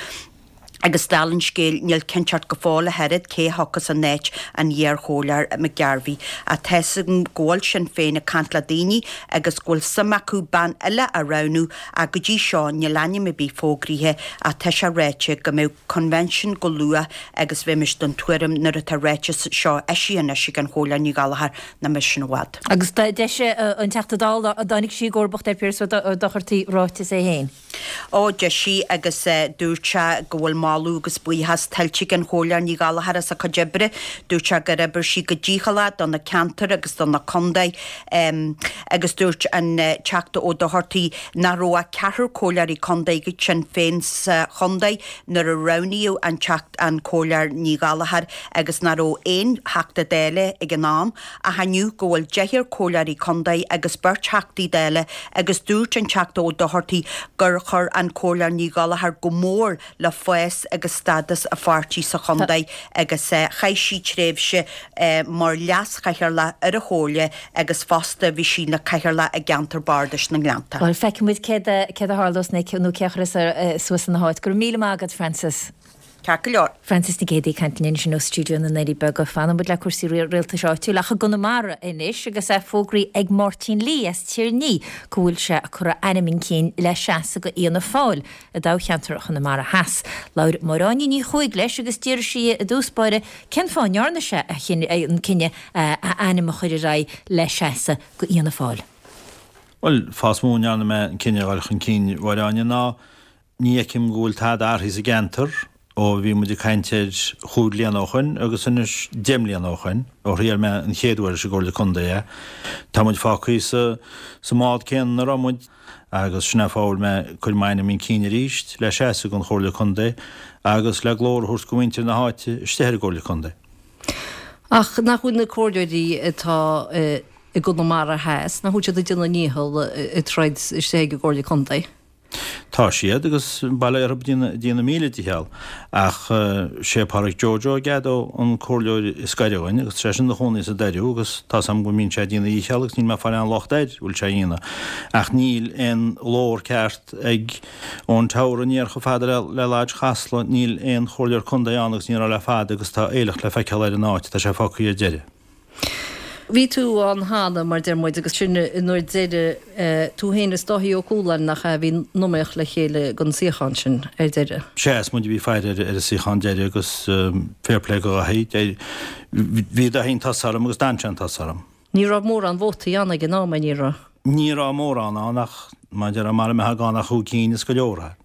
Agus dála an scéil, níl cinnteacht go fóill ach oiread cé a thiocfas in áit an iar-Chomhairleoir McGarvey. Ach tá's agam go bhfuil Sinn Féin ag caint le daoine agus go bhfuil suim acu bean eile a roghnú ach go dtí seo níl ainm ar bith fógraithe ach tá sé ráite go mbeidh convention go luath agus bheimis den tuairim nuair atá ráiteas seo eisithe anois ag an Chomhairleoir Ní Ghallchóir nach mbeidh sin i bhfad. Agus d'eisigh an Teachta Dála a dtáinig sí i gcomharbacht ar Phiaras Ó Dochartaigh ráiteas é féin. Ó, d'eisigh agus dúirt sé go bhfuil moladh agus buíochas tuillte ag an Chomhairleoir Ní Ghallchóir as a cuid oibre. Dúirt sé gur oibir sí go dícheallach do na ceantair agus do na contae agus dúirt an Teachta Ó Dochartaigh nach raibh ach ceathrar comhairleoirí contae ag Sinn Féin sa chontae nuair a roghnaíodh an Teachta an Comhairleoir Ní Ghallchóir agus nach raibh aon Theachta Dála ag an am ach inniu go bhfuil deichniúr comhairleoirí contae agus beirt Theachtaí Dála agus dúirt an Teachta Ó Dochartaigh gur chuir an Comhairleoir Ní Ghallchóir go mór le fás agus stádas a pháirtí sa chontae agus chaith sí tréimhse mar leas-chathaoirleach ar an chomhairle agus fosta bhí sí ina cathaoirleach i gceantar bardais na nGleannta. Bhuel, feicfidh muid céard a tharlós nó cé a chuirfeas suas ina háit. Go raibh míle maith agat, Frances. Ceart go leor. Frances Nic Géadaigh ag caint linn ansin ó stiúideo na nDoirí Beaga. Fanann muid le cúrsaí rialtais áitiúil ach i gConamara anois agus é fógraithe ag Máirtín Lee as Tír an Fhia go bhfuil sé ag cur a ainm chun cinn le seasamh do Fhianna Fáil i dtoghcheantar Chonamara Theas. Labhair Máire Áine Ní Chuaig leis agus d'fhiafraigh sí i dtús báire cén fáth a ndearna sé an cinneadh a ainm a chur ar aghaidh le seasamh do Fhianna Fáil. Bhuel, fáth is mó a ndearna mé an cinneadh a dhul chun cinn, a Mháire Áine, ná ní fheicim go bhfuil tada athraithe sa gceantar ó bhí muid ag caint air chúig bliana ó shoin agus anois deich mbliana ó shoin, ó thriail mé an chéad uair leis an gComhairle Contae é. Tá muid fágtha sa sa mbád céanna ina raibh muid agus sin é fáth a bhfuil mé ag cur m'ainm chun cinn arís le seasamh don Chomhairle Contae agus le glór a thabhairt do mhuintir na háite istigh ar an gComhairle Contae. Ach nach bhfuil na comhairleoirí atá i gConamara Theas, nach bhfuil siad ag déanamh a ndícheall ag troid istigh ag an gComhairle Contae? Tá siad, agus bail ó Dhia orthu ag déanamh a míle dícheall. Ach sé Páraic Joe Joe Gado an comhairleoir is gaire dhúinn agus tá seisean ina chónaí sa Doiriú agus tá's agam go mbíonn sé ag déanamh a dhícheall agus níl mé ag fáil aon locht air go bhfuil sé a dhéanamh. Ach níl aon ghlór ceart ag ón Teamhair aniar chomh fada le Lodge Chasla, níl aon chomhairleoir contae ann agus ní raibh le fada agus tá aoileach le feiceáil ar an áit, tá sé fágtha ar deireadh. Bhí tú ann cheana, mar deir muid, agus sin an uair deiridh, tú féin is Dáithí Ó Cualáin, nach ea, a bhí in iomaíocht le chéile don suíochán sin ar deireadh. Sea, is muid a bhí ag faire ar an suíochán deiridh agus fair play do Dhaithí. Bhí Dáithí chun tosaigh orm agus d'fhan sé chun tosaigh orm. Ní raibh mórán vótaí ann ag an am, ní raibh? Ní raibh mórán ann ach, mar a déarfá, mara mbeadh ann ach chúig cinn is go leor é.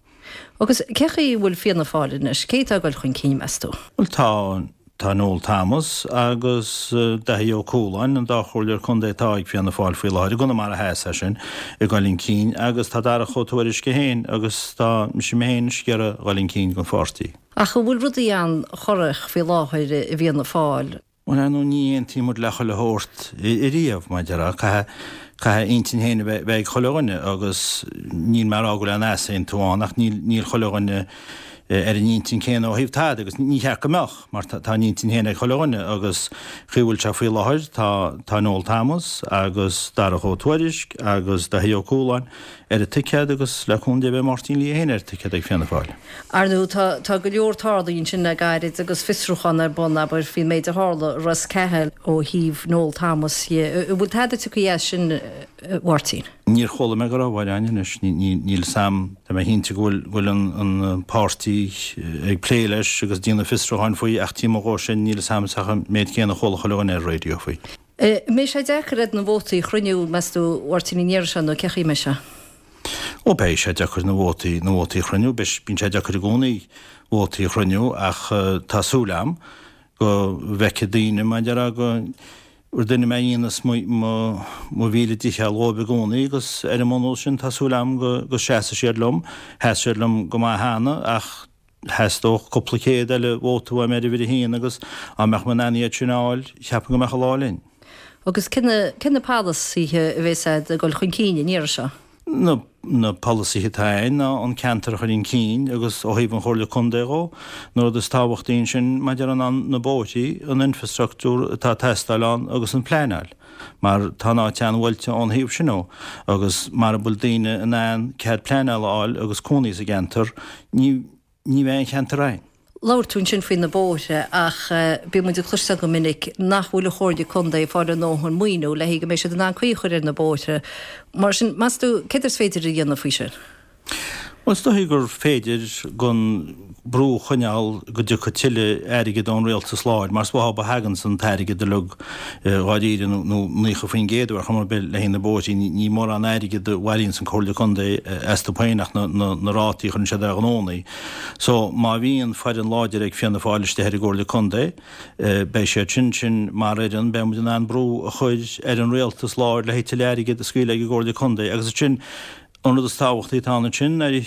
Agus cé chaoi a bhfuil Fianna Fáil anois? Cé atá ag dul chun cinn, meas tú? Bhuel, tá, tá Noel Thomas agus Daithí Ó Cualáin, an dá chomhairleoir contae atá ag Fianna Fáil faoi láthair, i gConamara Theas é sin, ag dul chun cinn agus tá Darach Ó Tuairisg féin agus tá mise mé féin anois ag iarraidh dhul chun cinn don pháirtí. Ach an bhfuil rudaí an-chorrach faoi láthair i bhFianna Fáil? Bhuel, ar ndóigh, ní aontaíonn muid le chuile shórt ariamh, mar a déarfá. Caithfidh, caithfidh intinn féin a bheith, bheith ag chuile dhuine agus níl mé ag rá go bhfuil aon easaontú ann ach níl, níl chuile dhuine ar an intinn céanna ó thaobh tada agus ní cheart go mbeadh mar tá, tá an intinn féin ag chuile dhuine agus chaoi a bhfuil sé faoi láthair tá, tá Noel Thomas agus Darach Ó Tuairisg agus Daithí Ó Cualáin ar an ticéad agus le cúnamh Dé beidh Máirtín Lee féin ar an ticéad ag Fianna Fáil. Ar ndóigh, tá tá go leor tarlaithe ansin le gairid agus fiosrúchán ar bun, abair, faoin méid a tharla i Ros Cathail ó thaobh Noel Thomas dhe. An bhfuil tada tugtha as sin, a Mháirtín? Níor chuala mé go raibh, a Mháire Áine, anois. Níl 'fhios a'm, tá mé cinnte go bhfuil go bhfuil an an páirtí ag plé leis agus déanamh fiosrúcháin faoi ach taobh amuigh dhó sin níl 'fhios a'm ach an méid céanna a chuala chuile dhuine ar an raidió faoi. An mbeidh sé deacair a'd na vótaí a chruinniú, meas tú, a Mháirtín, an iarraidh seo nó cé chaoi a mbeidh sé? Ó beidh sé deacair na vótaí, na vótaí a chruinniú, beidh, bíonn sé deacair i gcónaí vótaí a chruinniú ach tá súil a'm go bhfeicfidh daoine, mar a déarfá, go Rinne mé ionas mo mo mhíle dícheall dhóibh i gcónaí agus ar an mbunús sin tá súil agam go go seasfaidh siad liom. Sheas siad liom go maith cheana ach theastódh cúpla céad eile vóta uaim ar uimhir a haon agus dá mbeadh mé in ann iad sin a fháil, cheapfainn go mbeadh an lá linn. Agus cé na cé na polasaithe a bheas a'd ag dul chun cinn an iarraidh seo? Na na polasaithe atá a'inn ná an ceantar a chur chun cinn agus ó thaobh an Chomhairle Contae dhó, na rud is tábhachtaí ansin maidir ná na bóithrí, an infrastructúr atá ag teastáil ann agus an pleanáil mar tá an áit an-bhuailte ón thaobh sin dhó agus mara bhfuil daoine in ann cead pleanála a fháil agus cónaí sa gceantar ní ní bheidh an cheantar a'inn. Labhair tú ansin faoi na bóithre ach bíonn muid ag cloisteáil go minic nach bhfuil an Chomhairle Contae ag fáil a ndóthain maoiniú le go mbeidh siad in ann caoi a chur ar na bóithre. Mar sin, meas tú, céard is féidir a dhéanamh faoi sin? Bhuel, is dóichí gur féidir gan brú a choinneáil go dtiocfaidh tuilleadh airgid ón rialtas láir, mar is uathu a thaganns an t-airgead uilig dháiríre, nó naocha faoin gcéad ar chuma ar bith le haghaidh na bóithrí. Ní mórán airgid a bhailíonns an Comhairle Contae astu féin ach na rátaí a chuireann siad ar ghnónnaí. So, má bhíonn foireann láidir ag Fianna Fáil istigh ar an gComhairle Contae, beidh siad sin sin mar fhoireann, beidh muid in ann brú a chur ar an rialtas láir le haghaidh tuilleadh airgid a scaoileadh ag an gComhairle Contae agus ansin An rud is tábhachtaí atá ann ansin, nuair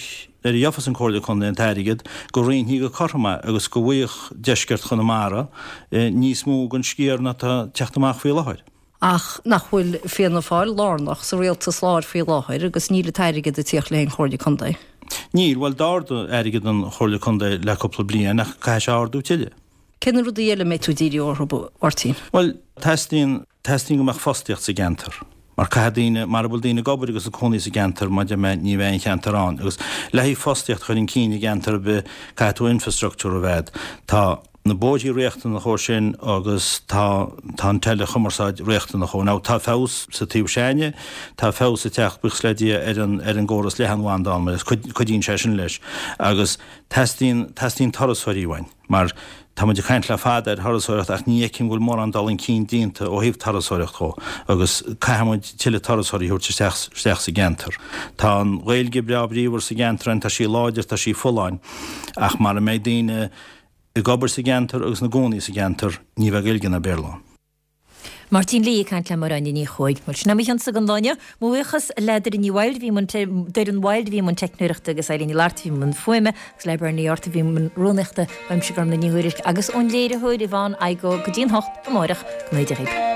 a gheofas an Comhairle Contae an t-airgead, go roinnfí go cothrom é agus go bhfaigheadh deisceart Chonamara níos mó den sciar ná atá ag teacht amach faoi láthair. Ach nach bhfuil Fianna Fáil lárnach sa rialtas láir faoi láthair agus níl an t-airgead ag tíocht le haghaidh an Chomhairle Contae? Níl. Bhuel, d'ardaigh airgead an Chomhairle Contae le cúpla bliain ach caithfidh sé ardú tuilleadh. Cé na rudaí eile a mbeidh tú ag díriú orthu, a Mháirtín? Bhuel, teastaíonn, teastaíonn go mbeadh fostaíocht sa gceantar. Mar caithfidh daoine, mara bhfuil daoine ag obair agus ag cónaí sa gceantar, mar a deir mé, ní bheidh an cheantar ann. Agus le haghaidh fostaíocht a chur chun cinn i gceantar ar bith, caithfidh tú infrastructúr a bheith a'd. Tá na bóithrí riachtanach dhó sin agus tá, tá an teileachumarsáid riachtanach dhó. Now, tá feabhas sa taobh s'a'inne, tá feabhas ag teacht, buíochas le Dia, ar an, ar an gcóras leathanbhanda ann, mar cuidíonn sé sin leis. Agus teastaíonn, teastaíonn turasóirí uainn. Mar tá muid ag caint le fada ar thurasóireacht ach ní fheicim go bhfuil mórán dul chun cinn déanta ó thaobh turasóireacht dhó agus caithfidh muid tuilleadh turasóirí a thabhairt isteach isteach sa gceantar. Tá an Ghaeilge breá bríomhar sa gceantar ann, tá sí láidir, tá sí folláin ach mara mbeidh daoine ag obair sa gceantar agus ina gcónaí sa gceantar ní bheidh Gaeilge ná Béarla ann. Máirtín Lee ag caint le Máire Áine Ní Chuaig. Bhuel, sin é mo chionsa don lá inniu. Mo bhuíochas le Doireann Ní Wilde a bhí i mbun Doireann Wilde a bhí i mbun teicneoireachta agus Eileen Ní Fhlatharta a bhí i mbun fuaime agus le Bernie Arthur a bhí i mbun rúnaíochta. Uaimse Gormlaith Ní Thuairisg agus ón léiritheoir Yvonne Igoe go dtí an hocht amárach. Go n-éide dhaoibh.